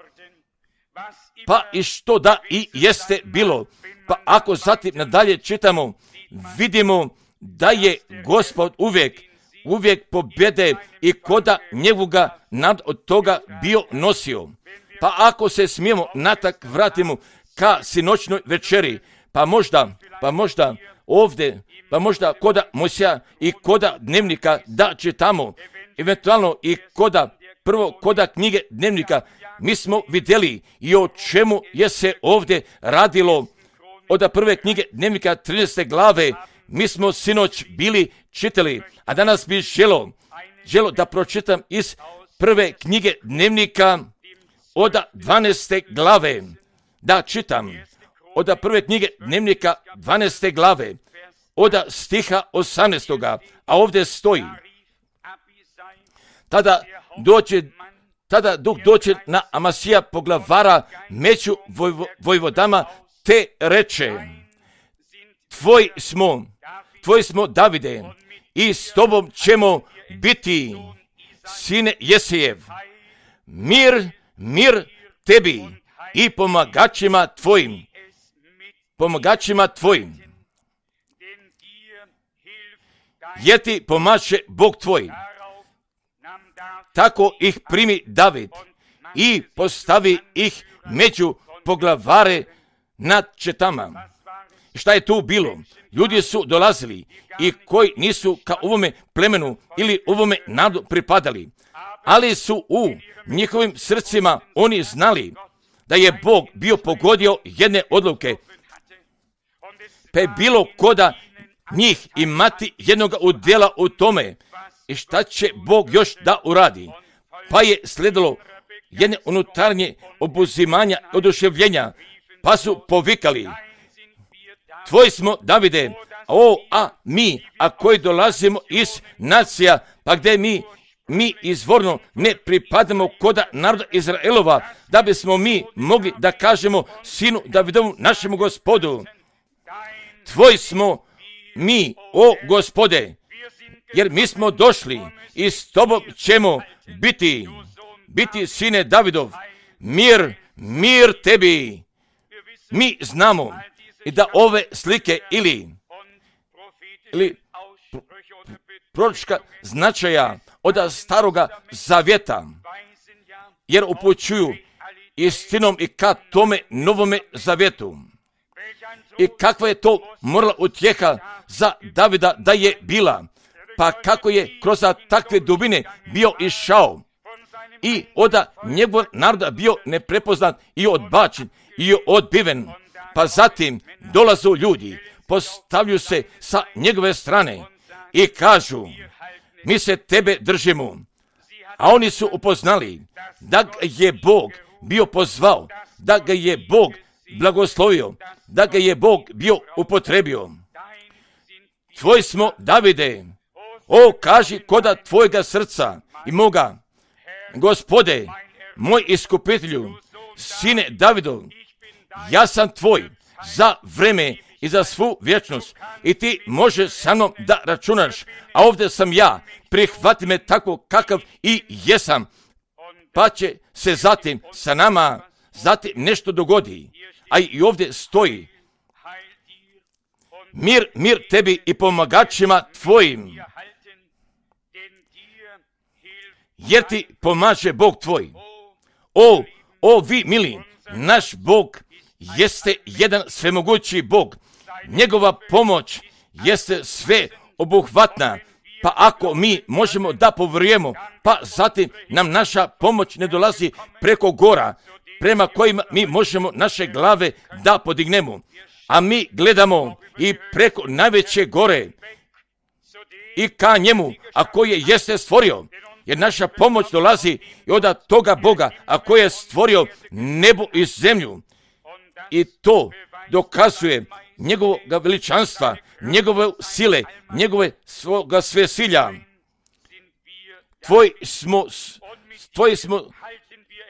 pa i što da i jeste bilo. Pa ako zatim nadalje čitamo, vidimo da je Gospod uvijek, uvijek pobjede i koda njegovoga nad od toga bio nosio. Pa ako se smijemo natak vratimo ka sinoćnoj večeri, pa možda, pa možda ovdje, pa možda koda Mojsija i koda dnevnika da čitamo, eventualno i koda, prvo koda knjige dnevnika, mi smo vidjeli i o čemu je se ovdje radilo od prve knjige dnevnika trinaeste glave, mi smo sinoć bili čitali, a danas bi želo, želo da pročitam iz prve knjige dnevnika od dvanaeste glave, da čitam od prve knjige dnevnika dvanaeste glave, od stiha osamnaestoga, a ovdje stoji, tada dođe, tada duh dođe na Amasija poglavara među vojvo, vojvodama, te reče, tvoj smo, tvoj smo Davide, i s tobom ćemo biti, sine Jesejev, mir, mir tebi i pomagačima tvojim, pomagačima tvojim, jer ti pomaže Bog tvoj. Tako ih primi David i postavi ih među poglavare nad četama. Šta je tu bilo? Ljudi su dolazili i koji nisu ka ovome plemenu ili ovome narodu pripadali, ali su u njihovim srcima oni znali da je Bog bio pogodio jedne odluke, pa je bilo koda njih imati jednog udjela u tome i šta će Bog još da uradi. Pa je sledilo jedne unutarnje obuzimanja, oduševljenja, pa su povikali, tvoj smo Davide, o, a mi, a koji dolazimo iz nacija, pa gdje mi, mi izvorno ne pripadamo koda naroda Izraelova, da bismo mi mogli da kažemo sinu Davidovu, našemu Gospodu, tvoj smo mi, o Gospode, jer mi smo došli i s tobom ćemo biti, biti sine Davidov, mir, mir tebi. Mi znamo i da ove slike ili, ili proročka značaja od staroga zavjeta, jer upućuju istinom i ka tome novome zavjetu. I kakva je to morala utjeha za Davida da je bila, pa kako je kroz takve dubine bio išao i od njegovog naroda bio neprepoznat i odbačen i odbiven. Pa zatim dolazu ljudi, postavljaju se sa njegove strane i kažu, mi se tebe držimo. A oni su upoznali da ga je Bog bio pozvao, da ga je Bog blagoslovio, da ga je Bog bio upotrebio. Tvoj smo Davide, o, kaži koda tvojega srca i moga, Gospode, moj iskupitelju, sine Davidov, ja sam tvoj za vreme i za svu vječnost i ti možeš sa mnom da računaš, a ovdje sam ja, prihvati me tako kakav i jesam, pa će se zatim sa nama zatim nešto dogodi. A i ovdje stoji, mir, mir tebi i pomagačima tvojim, jer ti pomaže Bog tvoj. O, o vi mili, naš Bog jeste jedan svemogući Bog. Njegova pomoć jeste sve obuhvatna. Pa ako mi možemo da povjerujemo, pa zatim nam naša pomoć ne dolazi preko gora, prema kojima mi možemo naše glave da podignemo. A mi gledamo i preko najveće gore i ka njemu, a koji jeste stvorio. Jer naša pomoć dolazi i od toga Boga, a koji je stvorio nebo i zemlju. I to dokazuje njegovog veličanstva, njegove sile, njegove svoga svesilja. Tvoj smo, tvoj smo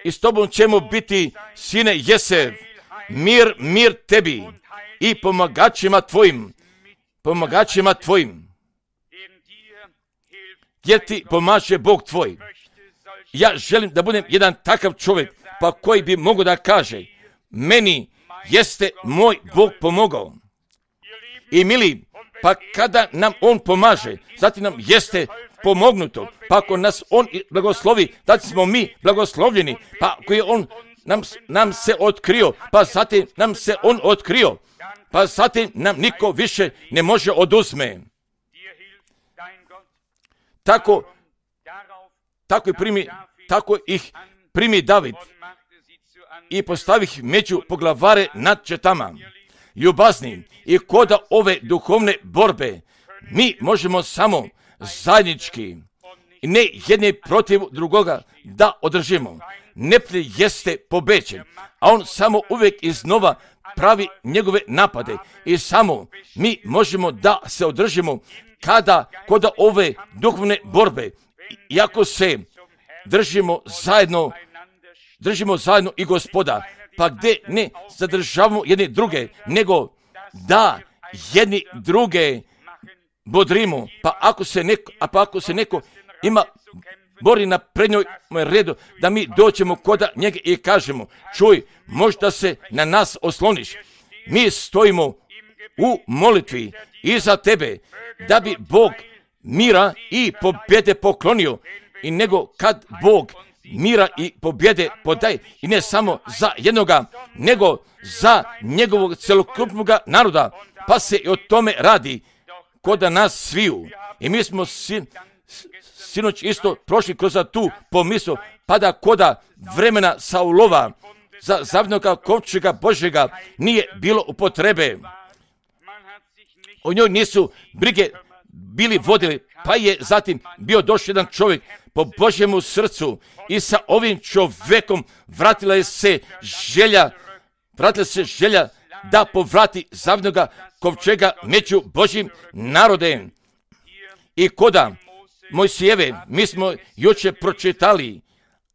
i s tobom ćemo biti, sine Jesev, mir, mir tebi i pomagačima tvojim, pomagačima tvojim, jer ti pomaže Bog tvoj. Ja želim da budem jedan takav čovjek, pa koji bi mogao da kaže, meni jeste moj Bog pomogao. I mili, pa kada nam On pomaže, zatim nam jeste pomognuto, pa ako nas On blagoslovi, da smo mi blagoslovljeni, pa ako je On nam, nam se otkrio, pa zatim nam se On otkrio, pa zatim nam niko više ne može oduzme. Tako, tako, primi, tako ih primi David i postavi ih među poglavare nad četama. Ljubazni, i koda ove duhovne borbe mi možemo samo zajednički i ne jedni protiv drugoga da održimo. Neprijatelj jeste pobeđen, a on samo uvijek iznova pravi njegove napade i samo mi možemo da se održimo kada koda ove duhovne borbe, iako se držimo zajedno, držimo zajedno i Gospoda, pa gdje ne zadržavamo jedni druge, nego da jedni druge bodrimo, pa ako se neko, a pa ako se neko ima bori na prednjoj redu, da mi dođemo koda njega i kažemo, čuj, možda se na nas osloniš. Mi stojimo u molitvi iza tebe, da bi Bog mira i pobjede poklonio, i nego kad Bog mira i pobjede podaje, i ne samo za jednoga, nego za njegovog celokupnog naroda, pa se i o tome radi koda nas sviju. I mi smo sin, sinoć isto prošli kroz tu pomisao, pa da koda vremena Saulova za zavnoga kovčega Božjega nije bilo upotrebe. O njoj nisu brige bili vodili, pa je zatim bio došao jedan čovjek po Božjemu srcu i sa ovim čovjekom vratila je se želja, vratila se želja da povrati zavnoga kovčega među Božjim narodem. I koda Mojsijeve, mi smo jučer pročitali,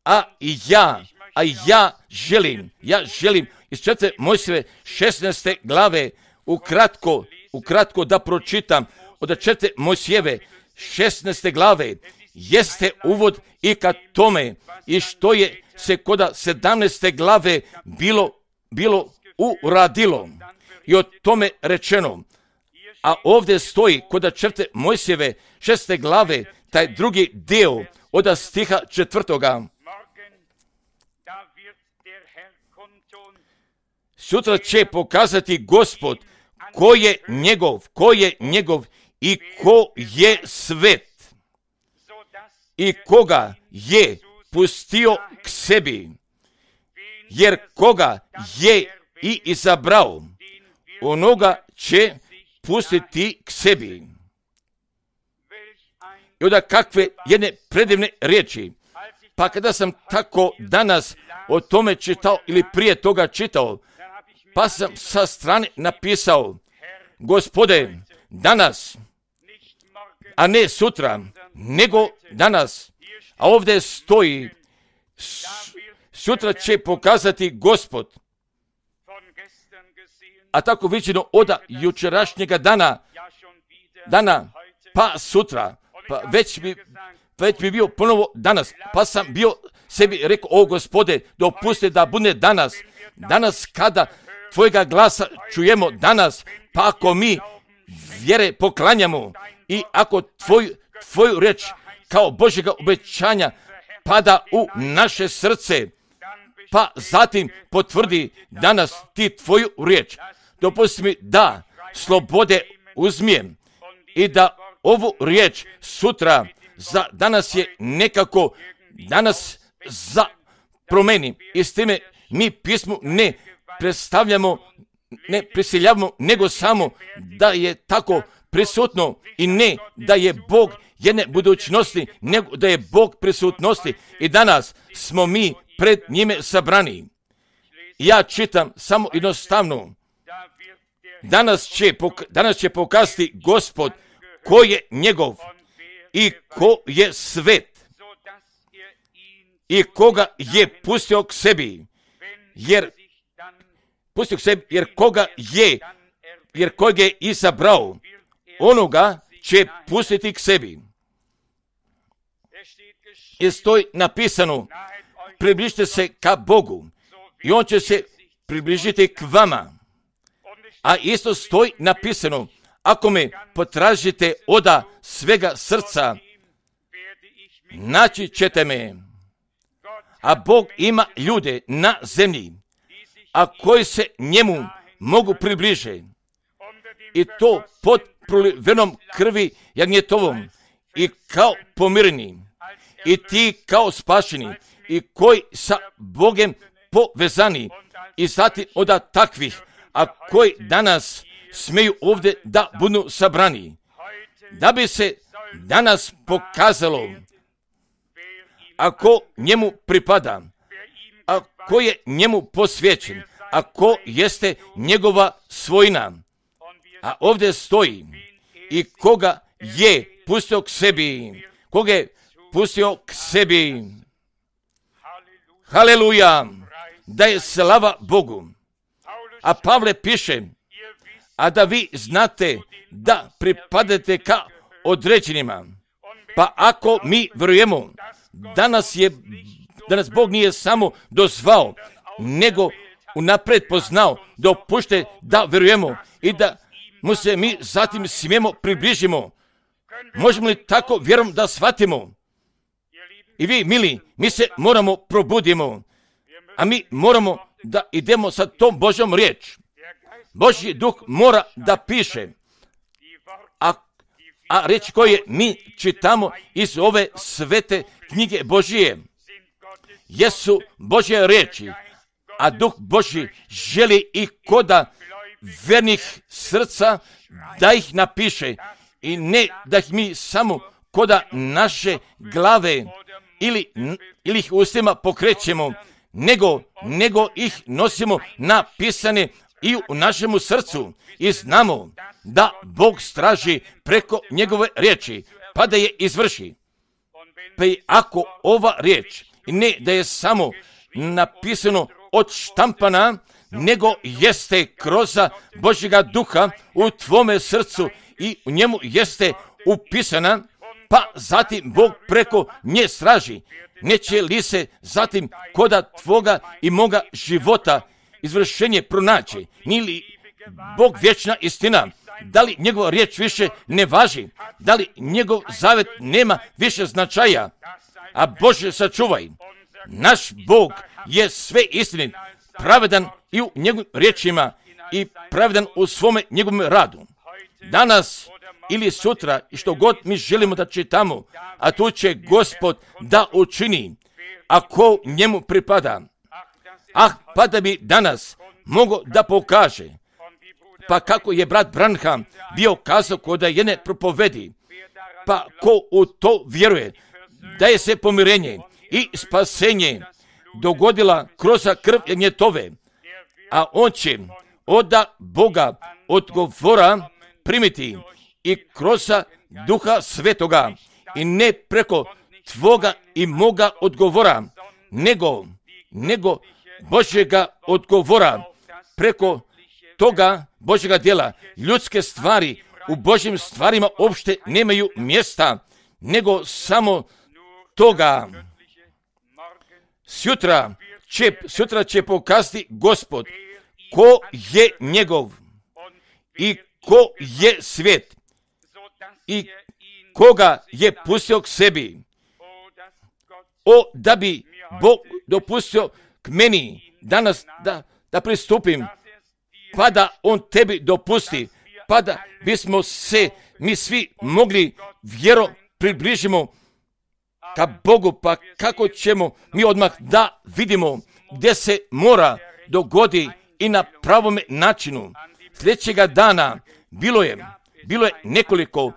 a i ja, a ja želim, ja želim iz četvrte Mojsijeve šesnaeste glave ukratko, ukratko da pročitam od četvrte Mojsijeve šesnaeste glave, jeste uvod i ka tome i što je se koda sedamnaeste glave bilo, bilo uradilo i o tome rečeno. A ovdje stoji koda četvrte Mojsijeve šeste glave, taj drugi dio od stiha četvrtoga. Sutra će pokazati Gospod ko je njegov, ko je njegov i ko je svet i koga je pustio k sebi, jer koga je i izabrao, onoga će pustiti k sebi. I onda kakve jedne predivne riječi. Pa kada sam tako danas o tome čitao ili prije toga čitao, pa sam sa strane napisao, Gospode, danas, a ne sutra, nego danas. A ovdje stoji, sutra će pokazati Gospod. A tako viđeno od jučerašnjega dana, dana, pa sutra, pa već bi, već bi bio ponovo danas, pa sam bio sebi rekao, o Gospode, dopusti da bude danas, danas kada tvojega glasa čujemo danas, pa ako mi vjere poklanjamo i ako tvoj, tvoju reč kao Božjega obećanja pada u naše srce, pa zatim potvrdi danas ti tvoju riječ, dopusti mi da slobode uzmijem i da ovu riječ sutra za danas je nekako danas za promeni i s time mi pismu ne predstavljamo, ne prisiljavamo, nego samo da je tako prisutno i ne da je Bog jedne budućnosti, nego da je Bog prisutnosti i danas smo mi pred njime sabrani. Ja čitam samo jednostavno, danas će, danas će pokazati Gospod ko je njegov i ko je svet i koga je pustio k sebi, jer pustio k sebi, jer koga je, jer kojeg je izabrao, onoga će pustiti k sebi. I stoji napisano, približite se ka Bogu i on će se približiti k vama. A isto stoji napisano, ako me potražite oda svega srca, naći ćete me. A Bog ima ljude na zemlji, a koji se njemu mogu približe. I to pod prolivenom krvi jagnjetovom i kao pomireni. I ti kao spašeni i koji sa Bogem povezani i zatim od takvih, a koji danas smeju ovdje da budu sabrani. Da bi se danas pokazalo ako njemu pripada, ako je njemu posvećen, ako jeste njegova svojina. A ovdje stoji i koga je pustio k sebi, koga je pustio k sebi. Haleluja, da je slava Bogu. A Pavle piše, a da vi znate da pripadate ka određenima. Pa ako mi vjerujemo, danas je, danas Bog nije samo dozvao, nego unaprijed poznao, dopušte da vjerujemo i da mu se mi zatim smijemo približimo. Možemo li tako vjerom da shvatimo? I vi, mili, mi se moramo probudimo, a mi moramo da idemo sa tom Božjom riječ. Božji duh mora da piše, a, a riječ koje mi čitamo iz ove svete knjige Božije jesu Božje riječi, a duh Božji želi i koda vernih srca da ih napiše i ne da ih mi samo koda naše glave ili, ili ih ustima pokrećemo, nego, nego ih nosimo napisane i u našemu srcu i znamo da Bog straži preko njegove riječi, pa da je izvrši. Pa i ako ova riječ ne da je samo napisano od štampana, nego jeste kroz Božjega duha u tvome srcu i u njemu jeste upisana, pa zatim Bog preko nje straži. Neće li se zatim koda tvoga i moga života izvršenje pronaći? Nije li Bog vječna istina? Da li njegova riječ više ne važi? Da li njegov zavet nema više značaja? A Bože sačuvaj, naš Bog je sve istinit, pravedan i u njegovim riječima i pravedan u svome njegovom radu. Danas ili sutra i što god mi želimo da čitamo, a tu će Gospod da učini, ako njemu pripada. Ah, pa da bi danas mogo da pokaže, pa kako je brat Branham bio kazao kod jedne propovedi, pa ko u to vjeruje, da je se pomirenje i spasenje dogodila kroz krv jagnjetove, a on će od Boga odgovora primiti i kroz duha svetoga i ne preko tvoga i moga odgovora, nego, nego Božjega odgovora preko toga Božjega djela. Ljudske stvari u Božjim stvarima uopšte nemaju mjesta, nego samo toga. Sutra će, sutra će pokazati Gospod ko je njegov i ko je svijet i koga je pustio k sebi. O, da bi Bog dopustio k meni danas da, da pristupim, pa da on tebi dopusti, pa da bismo se mi svi mogli vjero približimo ka Bogu, pa kako ćemo mi odmah da vidimo gdje se mora dogodi i na pravome načinu. Sljedećega dana bilo je, bilo je nekoliko,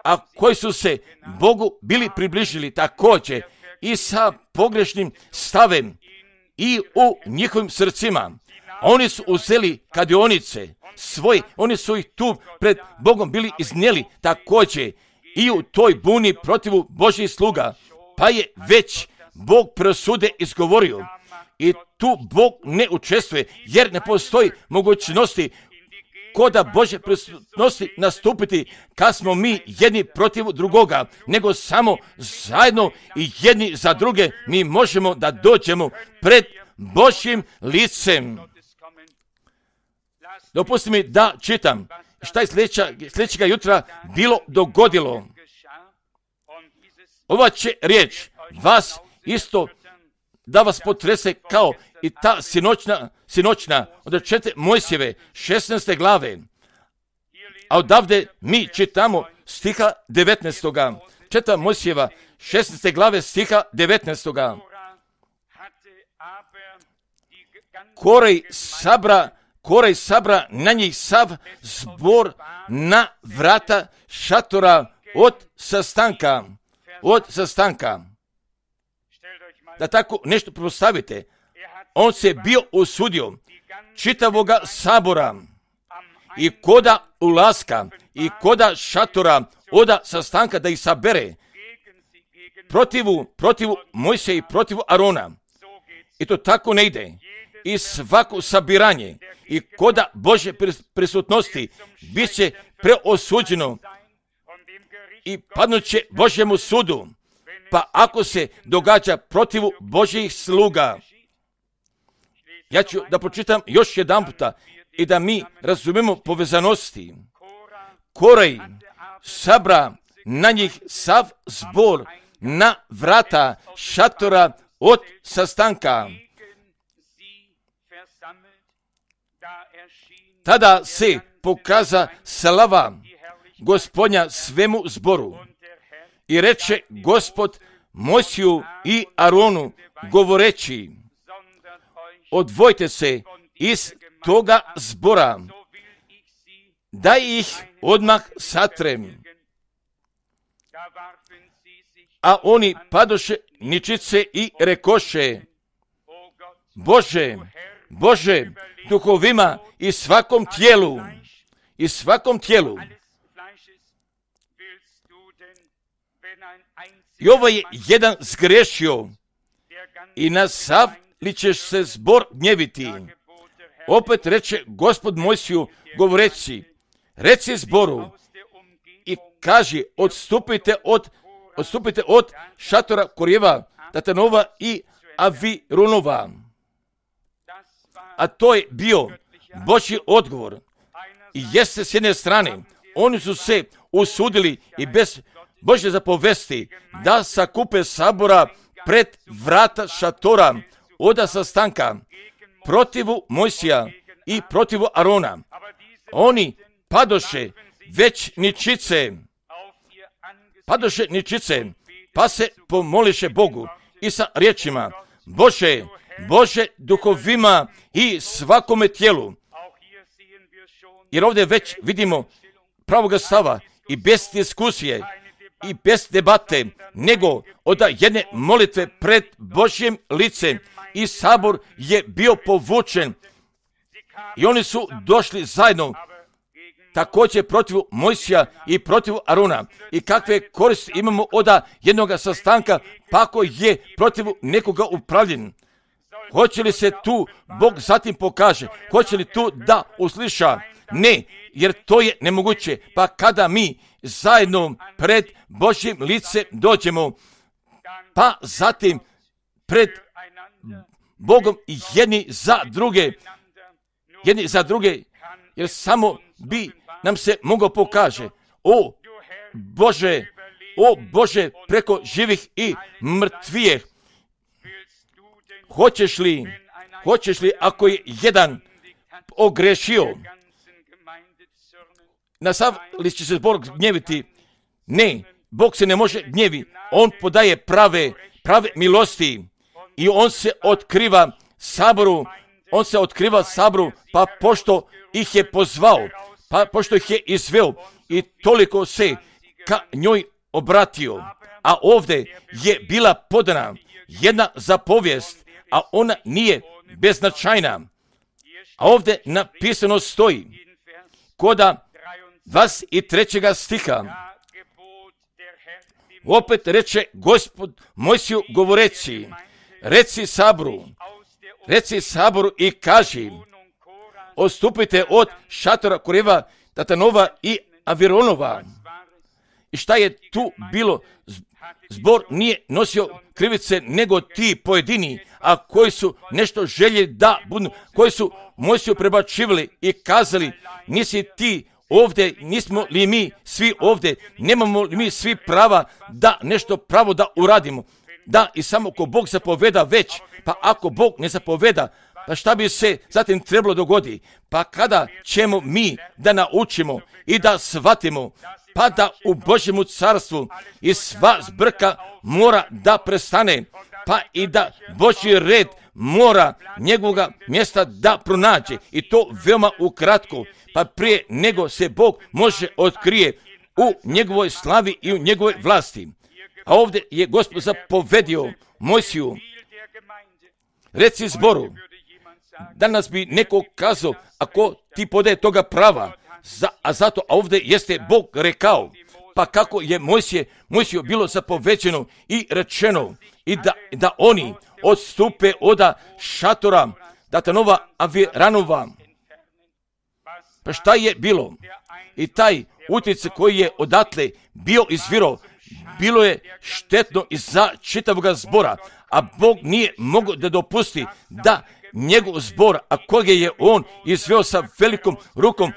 a koji su se Bogu bili približili također i sa pogrešnim stavem i u njihovim srcima. Oni su uzeli kadionice svoje, oni su ih tu pred Bogom bili iznijeli također i u toj buni protivu Božjih sluga, pa je već Bog presude izgovorio. I tu Bog ne učestvuje, jer ne postoji mogućnosti koda Božje prisutnosti nastupiti kad smo mi jedni protiv drugoga, nego samo zajedno i jedni za druge mi možemo da dođemo pred Božjim licem. Dopustite mi da čitam šta je sljedeća, sljedećega jutra bilo dogodilo. Ova će riječ vas isto da vas potrese kao i ta sinoćna, sinoćna od četiri Mojsijeve šesnaeste glave. A odavde mi čitamo stiha devetnaestoga. Četiri Mojsijeva šesnaeste glave stiha devetnaestoga. Korej sabra, Korej sabra na njih sav zbor na vrata šatora od sastanka. Od sastanka. Da tako nešto postavite. On se bio usudio čitavoga sabora i koda ulaska i koda šatora oda sastanka da ih sabere protivu, protivu Mojsija i protivu Arona. I to tako ne ide. I svako sabiranje i koda Božje prisutnosti bit će preosuđeno i padnuće Božjemu sudu. Pa ako se događa protivu Božjih sluga, ja ću da pročitam još jedan puta i da mi razumemo povezanosti. Korej sabra na njih sav zbor na vrata šatora od sastanka. Tada se pokaza slava Gospodnja svemu zboru. I reče Gospod Mojsiju i Aronu govoreći, odvojte se iz toga zbora, da ih odmah satrem. A oni padoše ničice i rekoše, Bože, Bože, duhovima i svakom tijelu, i svakom tijelu. I ovo je jedan zgrešio i na sav li ćeš se zbor gnjeviti. Opet reče Gospod Mojsiju govoreći, reci zboru i kaži, odstupite od, odstupite od šatora Korjeva, Datanova i Avirunova. A to je bio Božji odgovor. I jeste s jedne strane, oni su se usudili i bez Božje zapovesti da sakupe sabora pred vrata šatora oda sastanka protivu Mojsija i protivu Arona. Oni padoše već ničice, padoše ničice, pa se pomoliše Bogu i sa riječima, Bože, Bože duhovima i svakome tijelu. Jer ovdje već vidimo pravoga stava i bez diskusije i bez debate, nego od jedne molitve pred Božjim licem i sabor je bio povučen i oni su došli zajedno također protiv Mojsija i protiv Arona. I kakve koristi imamo od jednog sastanka pa ako je protiv nekoga upravljen? Hoće li se tu Bog zatim pokaže? Hoće li tu da usliša? Ne, jer to je nemoguće. Pa kada mi zajedno pred Božjim licem dođemo, pa zatim pred Bogom jedni za druge, jedni za druge, jer samo bi nam se mogao pokaže, o Bože, o Bože preko živih i mrtvijeh, hoćeš li, hoćeš li ako je jedan ogrešio, na sav li će se zbor gnjeviti? Ne, Bog se ne može gnjevi, on podaje prave, prave milosti i on se otkriva saboru, on se otkriva saboru, pa pošto ih je pozvao, pa pošto ih je izveo i toliko se ka njoj obratio, a ovdje je bila podana jedna zapovijest, a ona nije beznačajna. A ovdje napisano stoji, koda dvadeset trećega stiha, opet reče Gospod Mojsiju govoreći, reci saboru, reci saboru i kaži, odstupite od šatora Koreva, Datanova i Avironova. I šta je tu bilo? Zbor nije nosio krivice nego ti pojedini, a koji su nešto željeli da budu, koji su Mojsiju prebačivali i kazali, nisi ti ovdje, nismo li mi svi ovdje, nemamo li mi svi prava da nešto pravo da uradimo. Da, i samo ko Bog zapoveda već, pa ako Bog ne zapoveda, pa šta bi se zatim trebalo dogodi? Pa kada ćemo mi da naučimo i da shvatimo, pa da u Božjemu carstvu i sva zbrka mora da prestane, pa i da Božji red mora njegovoga mjesta da pronađe, i to veoma ukratko, pa prije nego se Bog može otkrije u njegovoj slavi i u njegovoj vlasti. A ovdje je Gospod zapovedio Mojsiju, reci zboru. Danas bi neko kazao, ako ti podaje toga prava, za, a zato, a ovdje jeste Bog rekao, pa kako je Mojsije, Mojsiju bilo zapovećeno i rečeno, i da, da oni odstupe od šatora Datanova Aviranova. Pa šta je bilo? I taj utjecaj koji je odatle bio izviro, bilo je štetno i za čitavoga zbora, a Bog nije mogao da dopusti da njegov zbor, a koga je on izveo sa velikom rukom,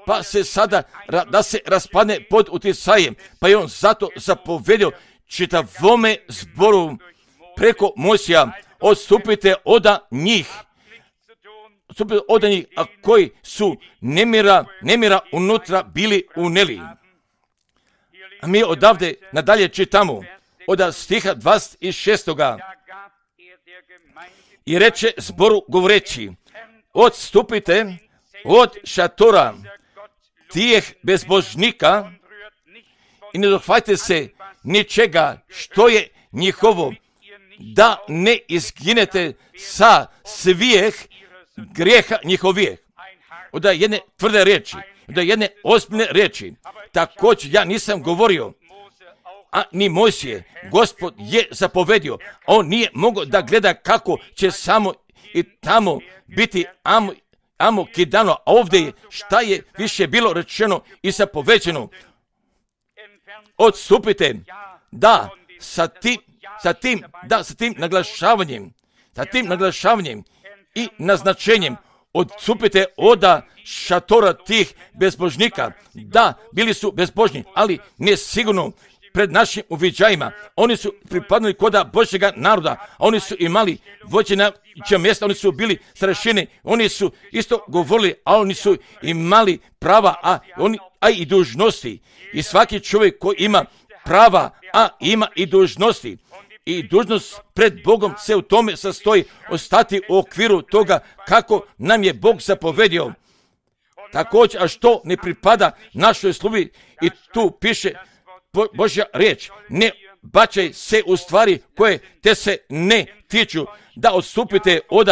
pa se sada da se raspadne pod utjecajem, pa je on zato zapovedio čitavome zboru preko Mojsija, odstupite od njih, odstupite od njih, a koji su nemira, nemira unutra bili uneli. A mi odavde nadalje čitamo od stiha dvadeset šestog. I reče zboru govoreći, odstupite od šatora tijeh bezbožnika i ne dohvatite se ničega što je njihovo, da ne izginete sa svijeh grijeha njihovijeh. Od jedne tvrde riječi, od jedne ozbiljne riječi. Također ja nisam govorio, a ni Mojsije, Gospod je zapovedio. On nije mogao da gleda kako će samo i tamo biti amo, amo kidano, a ovdje je šta je više bilo rečeno i zapovećeno. Odstupite, da, sa tim, sa tim, da, sa tim naglašavanjem, sa tim naglašavanjem i naznačenjem, odstupite od šatora tih bezbožnika. Da, bili su bezbožni, ali ne sigurno pred našim uviđajima. Oni su pripadali koda Božjega naroda, a oni su imali vođena mjesta, oni su bili starešine, oni su isto govorili, a oni su imali prava, a, oni, a i dužnosti. I svaki čovjek koji ima prava, a ima i dužnosti, i dužnost pred Bogom se u tome sastoji ostati u okviru toga kako nam je Bog zapovedio. Također, a što ne pripada našoj službi, i tu piše Božja riječ, ne bačaj se u stvari koje te se ne tiču, da odstupite od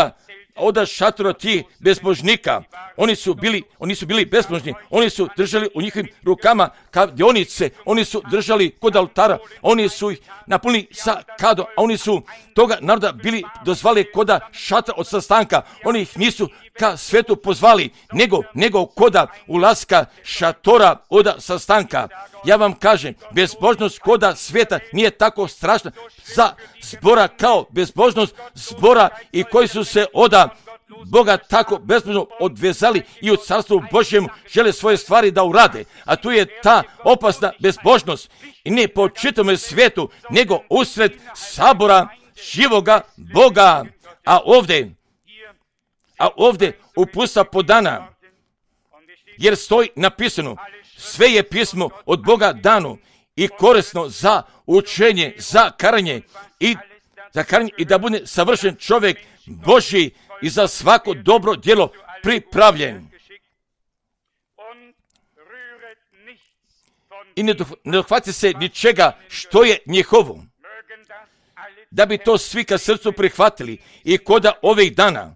od šatora tih bezbožnika. Oni su bili, oni su bili bezbožni, oni su držali u njihovim rukama kladionice, oni su držali kod oltara, oni su ih napunili sa kadom, a oni su toga naroda bili dozvali koda šatora od sastanka. Oni ih nisu ka svetu pozvali, nego, nego koda ulaska šatora od sastanka. Ja vam kažem, bezbožnost koda sveta nije tako strašna za zbora kao bezbožnost zbora i koji su se od Boga tako bezbožno odvezali i u carstvu Božjemu žele svoje stvari da urade. A tu je ta opasna bezbožnost i ne po čitavom svijetu, nego usred sabora živoga Boga. A ovdje, a ovdje upusta podana, jer stoji napisano, sve je pismo od Boga dano i korisno za učenje, za karanje i za karanje i da bude savršen čovjek Božji i za svako dobro djelo pripravljen. I ne dohvati se ničega što je njihovo. Da bi to svi ka srcu prihvatili i koda ovih dana.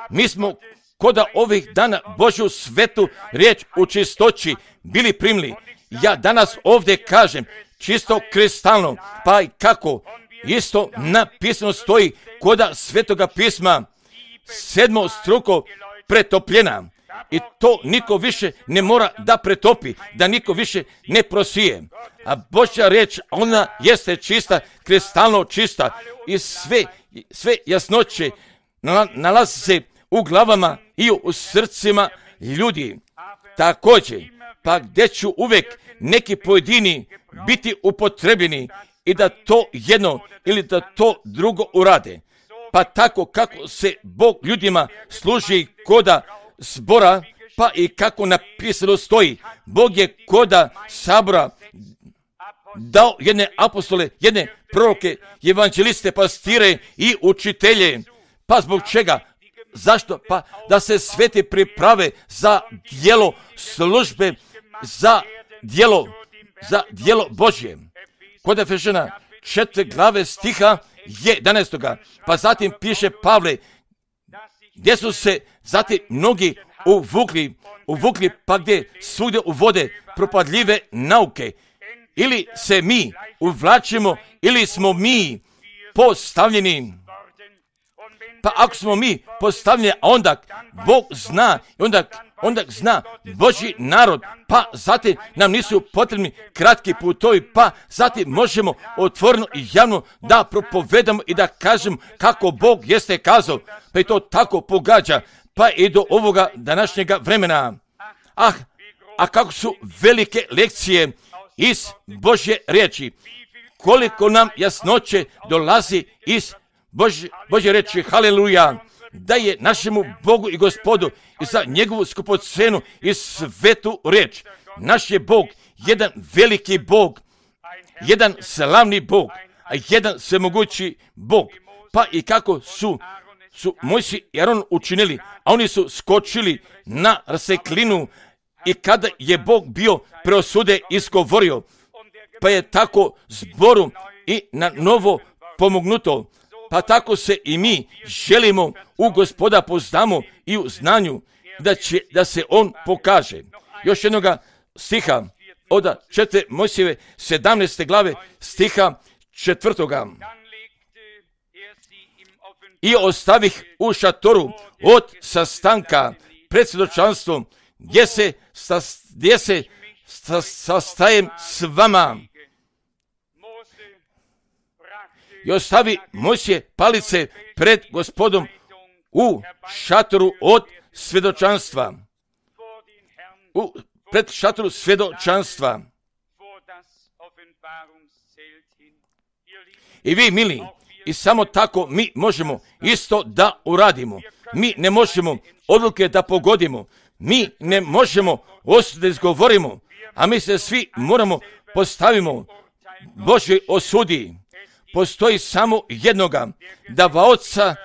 Mi smo koda ovih dana Božju svetu riječ u čistoći bili primili. Ja danas ovdje kažem, čisto kristalno, pa i kako isto napisano stoji koda Svetoga pisma, sedmo struko pretopljena. I to niko više ne mora da pretopi, da niko više ne prosije. A Božja riječ, ona jeste čista, kristalno čista i sve, sve jasnoće nalazi se u glavama i u srcima ljudi. Također, pa gdje ću uvijek neki pojedini biti upotrebljeni i da to jedno ili da to drugo urade. Pa tako kako se Bog ljudima služi koda zbora, pa i kako napisano stoji, Bog je koda sabora dao jedne apostole, jedne proroke, evanđeliste, pastire i učitelje. Pa zbog čega? Zašto? Pa da se sveti priprave za djelo službe, za djelo, za djelo Božje. Kod Efežana četiri glave stiha jedanaestoga. Pa zatim piše Pavle, gdje su se zatim mnogi uvukli, uvukli pa gdje svugdje uvode propadljive nauke. Ili se mi uvlačimo, ili smo mi postavljeni. Pa ako smo mi postavljeni, onda Bog zna, onda, onda zna Božji narod, pa zatim nam nisu potrebni kratki putovi, pa zatim možemo otvoreno i javno da propovedamo i da kažemo kako Bog jeste kazao, pa i to tako pogađa, pa i do ovoga današnjega vremena. Ah, a kako su velike lekcije iz Božje riječi, koliko nam jasnoće dolazi iz Božje, Božje riječi, haleluja, da je našemu Bogu i Gospodu i za njegovu skupocenu i svetu riječ. Naš je Bog jedan veliki Bog, jedan slavni Bog, a jedan svemogući Bog. Pa i kako su, su Mojsije i Aron učinili, a oni su skočili na raseklinu i kada je Bog bio preosude izgovorio, pa je tako zboru i na novo pomognuto. Pa tako se i mi želimo u Gospoda poznamo i u znanju da će da se on pokaže. Još jednoga stiha od četiri Mojsijeve sedamnaeste glave stiha četvrtoga. I ostavih u šatoru od sastanka pred svjedočanstvom gdje se, gdje se sastajem s vama. I ostavi Mojsije palice pred Gospodom u šatoru od svjedočanstva. U, pred šatoru svjedočanstva. I vi, mili, i samo tako mi možemo isto da uradimo. Mi ne možemo odluke da pogodimo. Mi ne možemo osude da izgovorimo, a mi se svi moramo postavimo Božoj osudi. Postoji samo jednoga, davaoca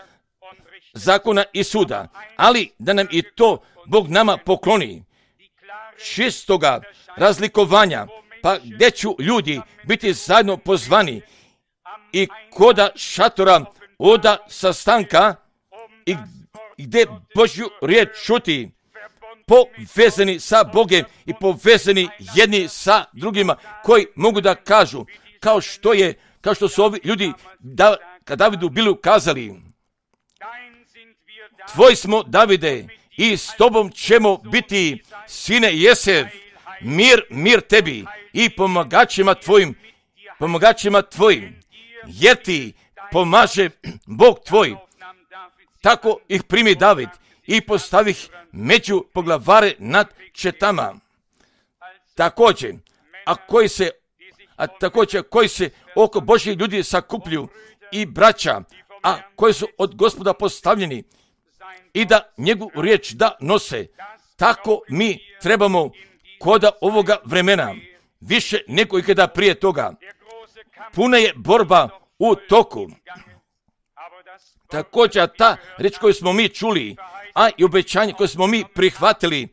zakona i suda, ali da nam i to Bog nama pokloni. Čistoga razlikovanja, pa gdje ću ljudi biti zajedno pozvani i koda šatora oda sastanka i gdje Božju riječ čuti, povezani sa Bogem i povezani jedni sa drugima koji mogu da kažu kao što je kao što su ovi ljudi da, kad Davidu bili ukazali, tvoj smo, Davide, i s tobom ćemo biti, sine Jesev, mir, mir tebi i pomagačima tvojim, pomagačima tvojim, jer ti pomaže Bog tvoj. Tako ih primi David i postavi ih među poglavare nad četama. Također, a koji se a također koji se oko Božjih ljudi sakuplju i braća, a koji su od Gospoda postavljeni i da njegovu riječ da nose. Tako mi trebamo koda ovoga vremena, više nego ikada prije toga. Puna je borba u toku. Također ta riječ koju smo mi čuli, a i obećanje koje smo mi prihvatili,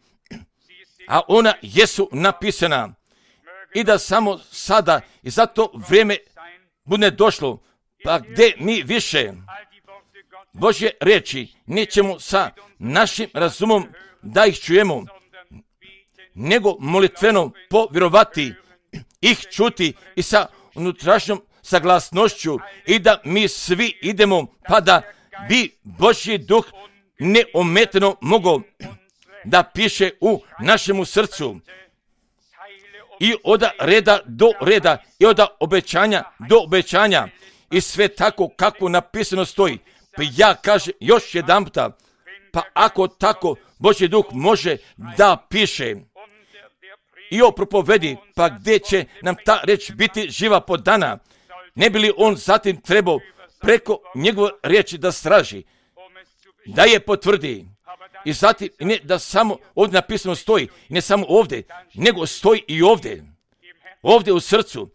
a ona jesu napisana. I da samo sada i za to vrijeme bude došlo, pa gdje mi više Božje riječi nećemo sa našim razumom da ih čujemo, nego molitveno povjerovati ih čuti i sa unutrašnjom saglasnošću i da mi svi idemo pa da bi Božji duh neometano mogao da piše u našemu srcu i od reda do reda i od obećanja do obećanja i sve tako kako napisano stoji. Pa ja kažem još jedanputa, pa ako tako Božji duh može da piše i o propovedi, pa gdje će nam ta reč biti živa po dana, ne bi li on zatim trebao preko njegove riječi da straži, da je potvrdi. I zatim ne da samo ovdje napisano stoji, ne samo ovdje, nego stoji i ovdje, ovdje u srcu.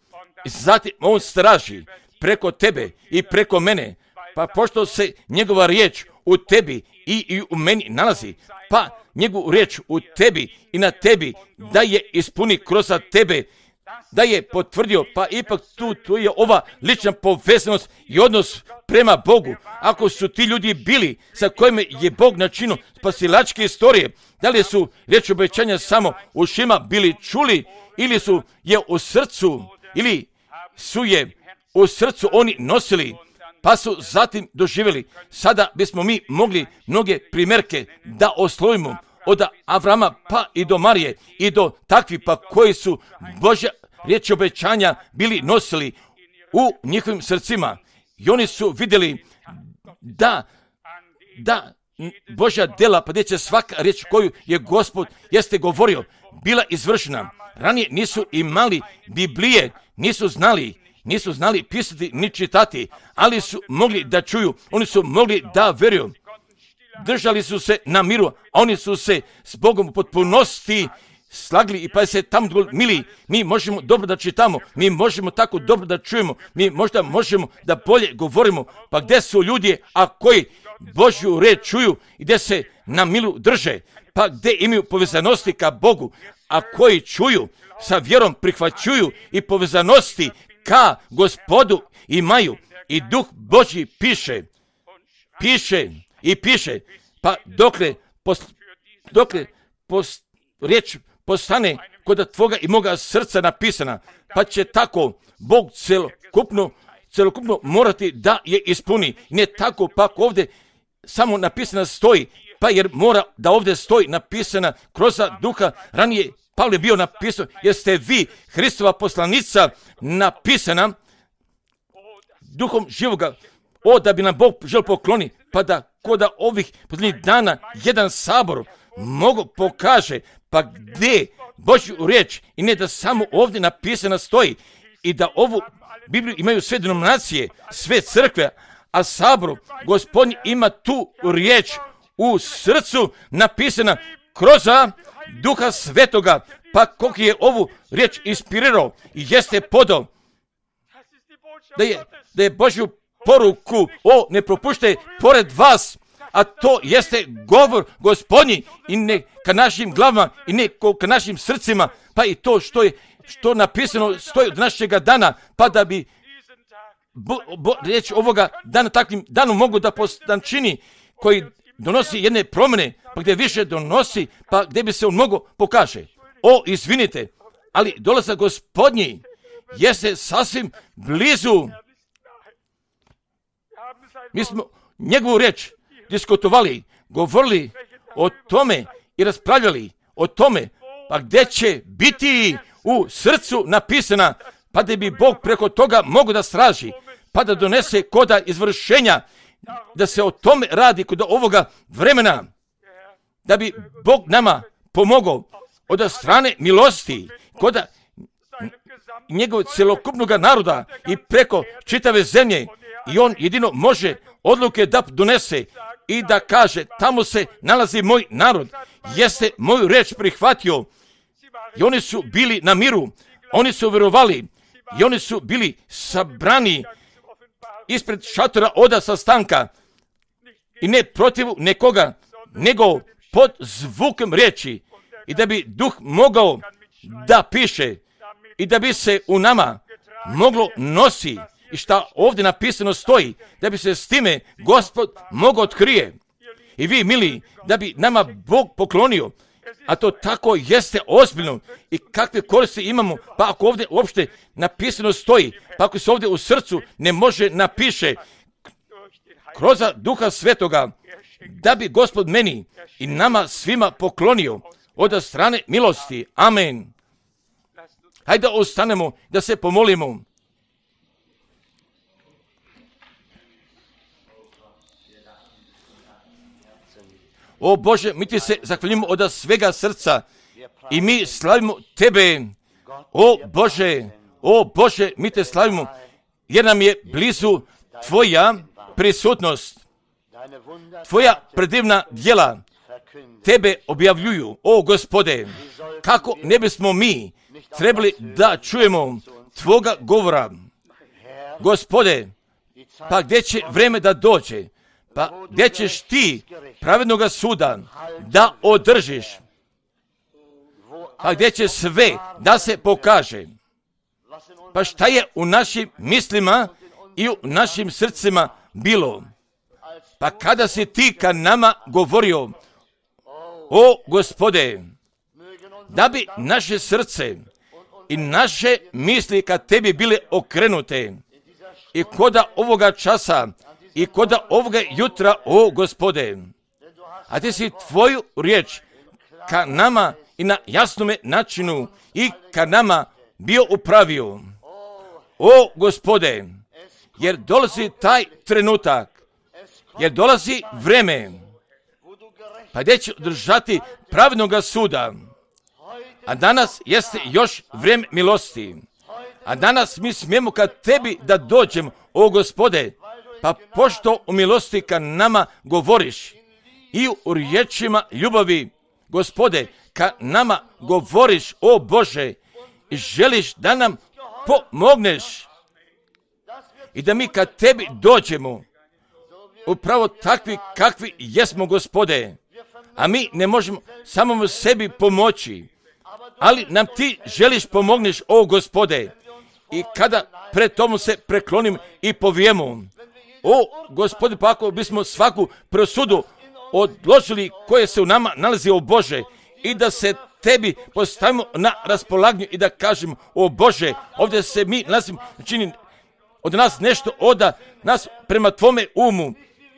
I zatim on straži preko tebe i preko mene, pa pošto se njegova riječ u tebi i, i u meni nalazi, pa njegovu riječ u tebi i na tebi da je ispuni kroz tebe, da je potvrdio, pa ipak tu, tu je ova lična povezanost i odnos prema Bogu. Ako su ti ljudi bili sa kojima je Bog načinio spasilačke istorije, da li su riječ obećanja samo u ušima bili čuli ili su je u srcu, ili su je u srcu oni nosili, pa su zatim doživjeli. Sada bismo mi mogli mnoge primjerke da oslovimo od Avrama pa i do Marije i do takvi pa koji su Božja riječ obećanja bili nosili u njihovim srcima. I oni su vidjeli da, da Božja djela, pa gdje će svaka riječ koju je Gospod jeste govorio, bila izvršena. Ranije nisu imali Biblije, nisu znali, nisu znali pisati ni čitati, ali su mogli da čuju, oni su mogli da vjeruju. Držali su se na miru, a oni su se s Bogom u potpunosti slagli i pa se tamo mili. Mi možemo dobro da čitamo, mi možemo tako dobro da čujemo, mi možda možemo da bolje govorimo. Pa gdje su ljudi, a koji Božju riječ čuju i gdje se na milu drže, pa gdje imaju povezanosti ka Bogu, a koji čuju, sa vjerom prihvaćuju i povezanosti ka Gospodu imaju. I Duh Božji piše, piše i piše, pa dokle, pos, dokle pos, riječ postane kod tvoga i moga srca napisana, pa će tako Bog celokupno, celokupno morati da je ispuni. Ne tako pa ovdje samo napisana stoji, pa jer mora da ovdje stoji napisana kroz Duha. Ranije Pavle je bio napisao, jer ste vi Hristova poslanica napisana Duhom živoga, o da bi nam Bog žel pokloni, pa da kod ovih posljednjih dana jedan sabor mogu pokaže, pa gdje Božju riječ i ne da samo ovdje napisana stoji i da ovu Bibliju imaju sve denominacije, sve crkve, a sabor Gospodin ima tu riječ u srcu napisana kroz Duha Svetoga, pa koliko je ovu riječ inspirirao i jeste podao da je, da je Božju poruku o ne propušte pored vas, a to jeste govor Gospodnji i ne ka našim glavama i ne ka našim srcima, pa i to što je što napisano stoji od našega dana, pa da bi bo, bo, riječ ovoga dana takvim danom mogu da postan čini koji donosi jedne promjene, pa gdje više donosi, pa gdje bi se on mogo pokaže. O, izvinite, ali dolazak Gospodnji jeste sasvim blizu. Mi smo njegovu riječ diskutovali, govorili o tome i raspravljali o tome, pa gdje će biti u srcu napisana, pa da bi Bog preko toga mogu da straži, pa da donese koda izvršenja, da se o tome radi kod ovoga vremena, da bi Bog nama pomogao od strane milosti, kod njegovog celokupnog naroda i preko čitave zemlje, i on jedino može odluke da donese i da kaže, tamo se nalazi moj narod, jeste moju reč prihvatio. I oni su bili na miru, oni su vjerovali i oni su bili sabrani ispred šatora oda sastanka i ne protiv nekoga, nego pod zvukom riječi, i da bi Duh mogao da piše i da bi se u nama moglo nosi i šta ovdje napisano stoji, da bi se s time Gospod mogao otkrije. I vi, mili, da bi nama Bog poklonio, a to tako jeste ozbiljno i kakve koristi imamo, pa ako ovdje uopšte napisano stoji, pa ako se ovdje u srcu ne može napiše kroz Duha Svetoga, da bi Gospod meni i nama svima poklonio od strane milosti. Amen. Hajde da ostanemo, da se pomolimo. O Bože, mi ti se zahvaljujemo od svega srca i mi slavimo Tebe. O Bože, o Bože, mi te slavimo jer nam je blizu Tvoja prisutnost. Tvoja predivna djela Tebe objavljuju. O Gospode, kako ne bismo mi trebali da čujemo Tvoga govora. Gospode, pa gdje će vreme da dođe? Pa gdje ćeš ti pravednoga suda da održiš? Pa gdje će sve da se pokaže? Pa šta je u našim mislima i u našim srcima bilo? Pa kada si ti ka nama govorio, o Gospode, da bi naše srce i naše misli ka tebi bile okrenute i koda ovoga časa i koda ovoga jutra, o Gospode, a ti si tvoju riječ ka nama i na jasnome načinu i ka nama bio upravio. O Gospode, jer dolazi taj trenutak, jer dolazi vreme, pa gdje će održati pravednoga suda. A danas jeste još vrijeme milosti. A danas mi smijemo ka tebi da dođemo, o Gospode, pa pošto u milosti ka nama govoriš i u riječima ljubavi, Gospode, ka nama govoriš, o Bože, i želiš da nam pomogneš i da mi ka tebi dođemo upravo takvi kakvi jesmo, Gospode, a mi ne možemo samom sebi pomoći, ali nam ti želiš pomogneš, o Gospode, i kada pred tomu se preklonim i povijemo, o Gospode, pa ako bismo svaku presudu odložili koje se u nama nalazi, o Bože, i da se tebi postavimo na raspolaganju i da kažemo, o Bože, ovdje se mi nalazimo, čini od nas nešto oda nas prema tvome umu,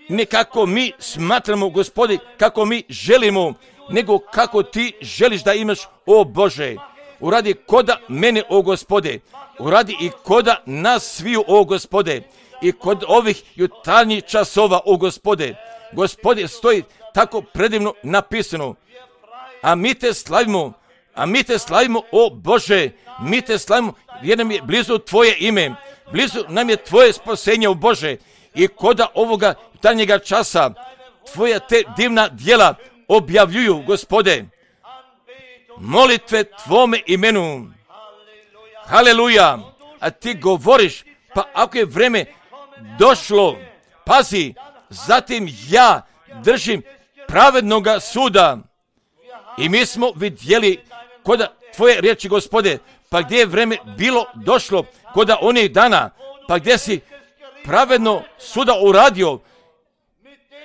ne kako mi smatramo, Gospode, kako mi želimo, nego kako ti želiš da imaš, o Bože. Uradi koda mene, o Gospode, uradi i koda nas sviju, o Gospode, i kod ovih jutarnjih časova, o Gospode. Gospode, stoji tako predivno napisano, a mi te slavimo, a mi te slavimo, o Bože, mi te slavimo jer nam je blizu tvoje ime, blizu nam je tvoje spasenje, o Bože, i koda ovoga jutarnjega časa tvoja te divna djela objavljuju, Gospode, molitve tvome imenu. Haleluja, a ti govoriš, pa ako je vreme došlo, pazi, zatim ja držim pravednoga suda. I mi smo vidjeli koda tvoje riječi, Gospode, pa gdje je vreme bilo došlo, koda onih dana, pa gdje si pravedno suda uradio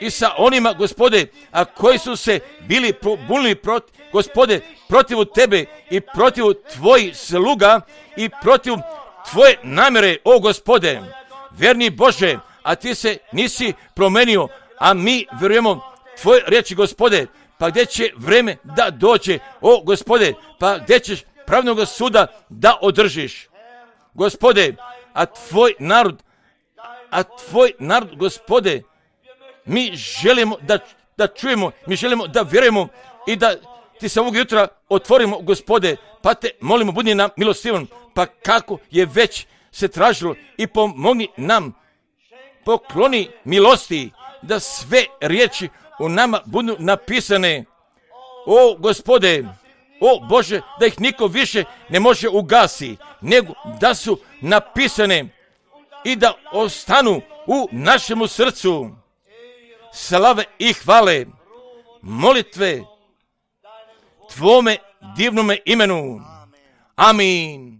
i sa onima, Gospode, a koji su se bili pobunili protiv, Gospode, protiv tebe i protiv tvojih sluga i protiv tvoje namjere, o Gospode, verni Bože, a ti se nisi promenio, a mi vjerujemo tvoje riječi, Gospode, pa gdje će vreme da dođe, o Gospode, pa gdje ćeš pravnog suda da održiš, Gospode, a tvoj narod, a tvoj narod, Gospode, mi želimo da, da čujemo, mi želimo da vjerujemo i da ti se ovog jutra otvorimo, Gospode, pa te molimo, budi nam milostivan, pa kako je već se tražilo i pomogni nam, pokloni milosti, da sve riječi u nama budu napisane, o Gospode, o Bože, da ih niko više ne može ugasi, nego da su napisane i da ostanu u našemu srcu. Slave i hvale, molitve tvome divnome imenu. Amin.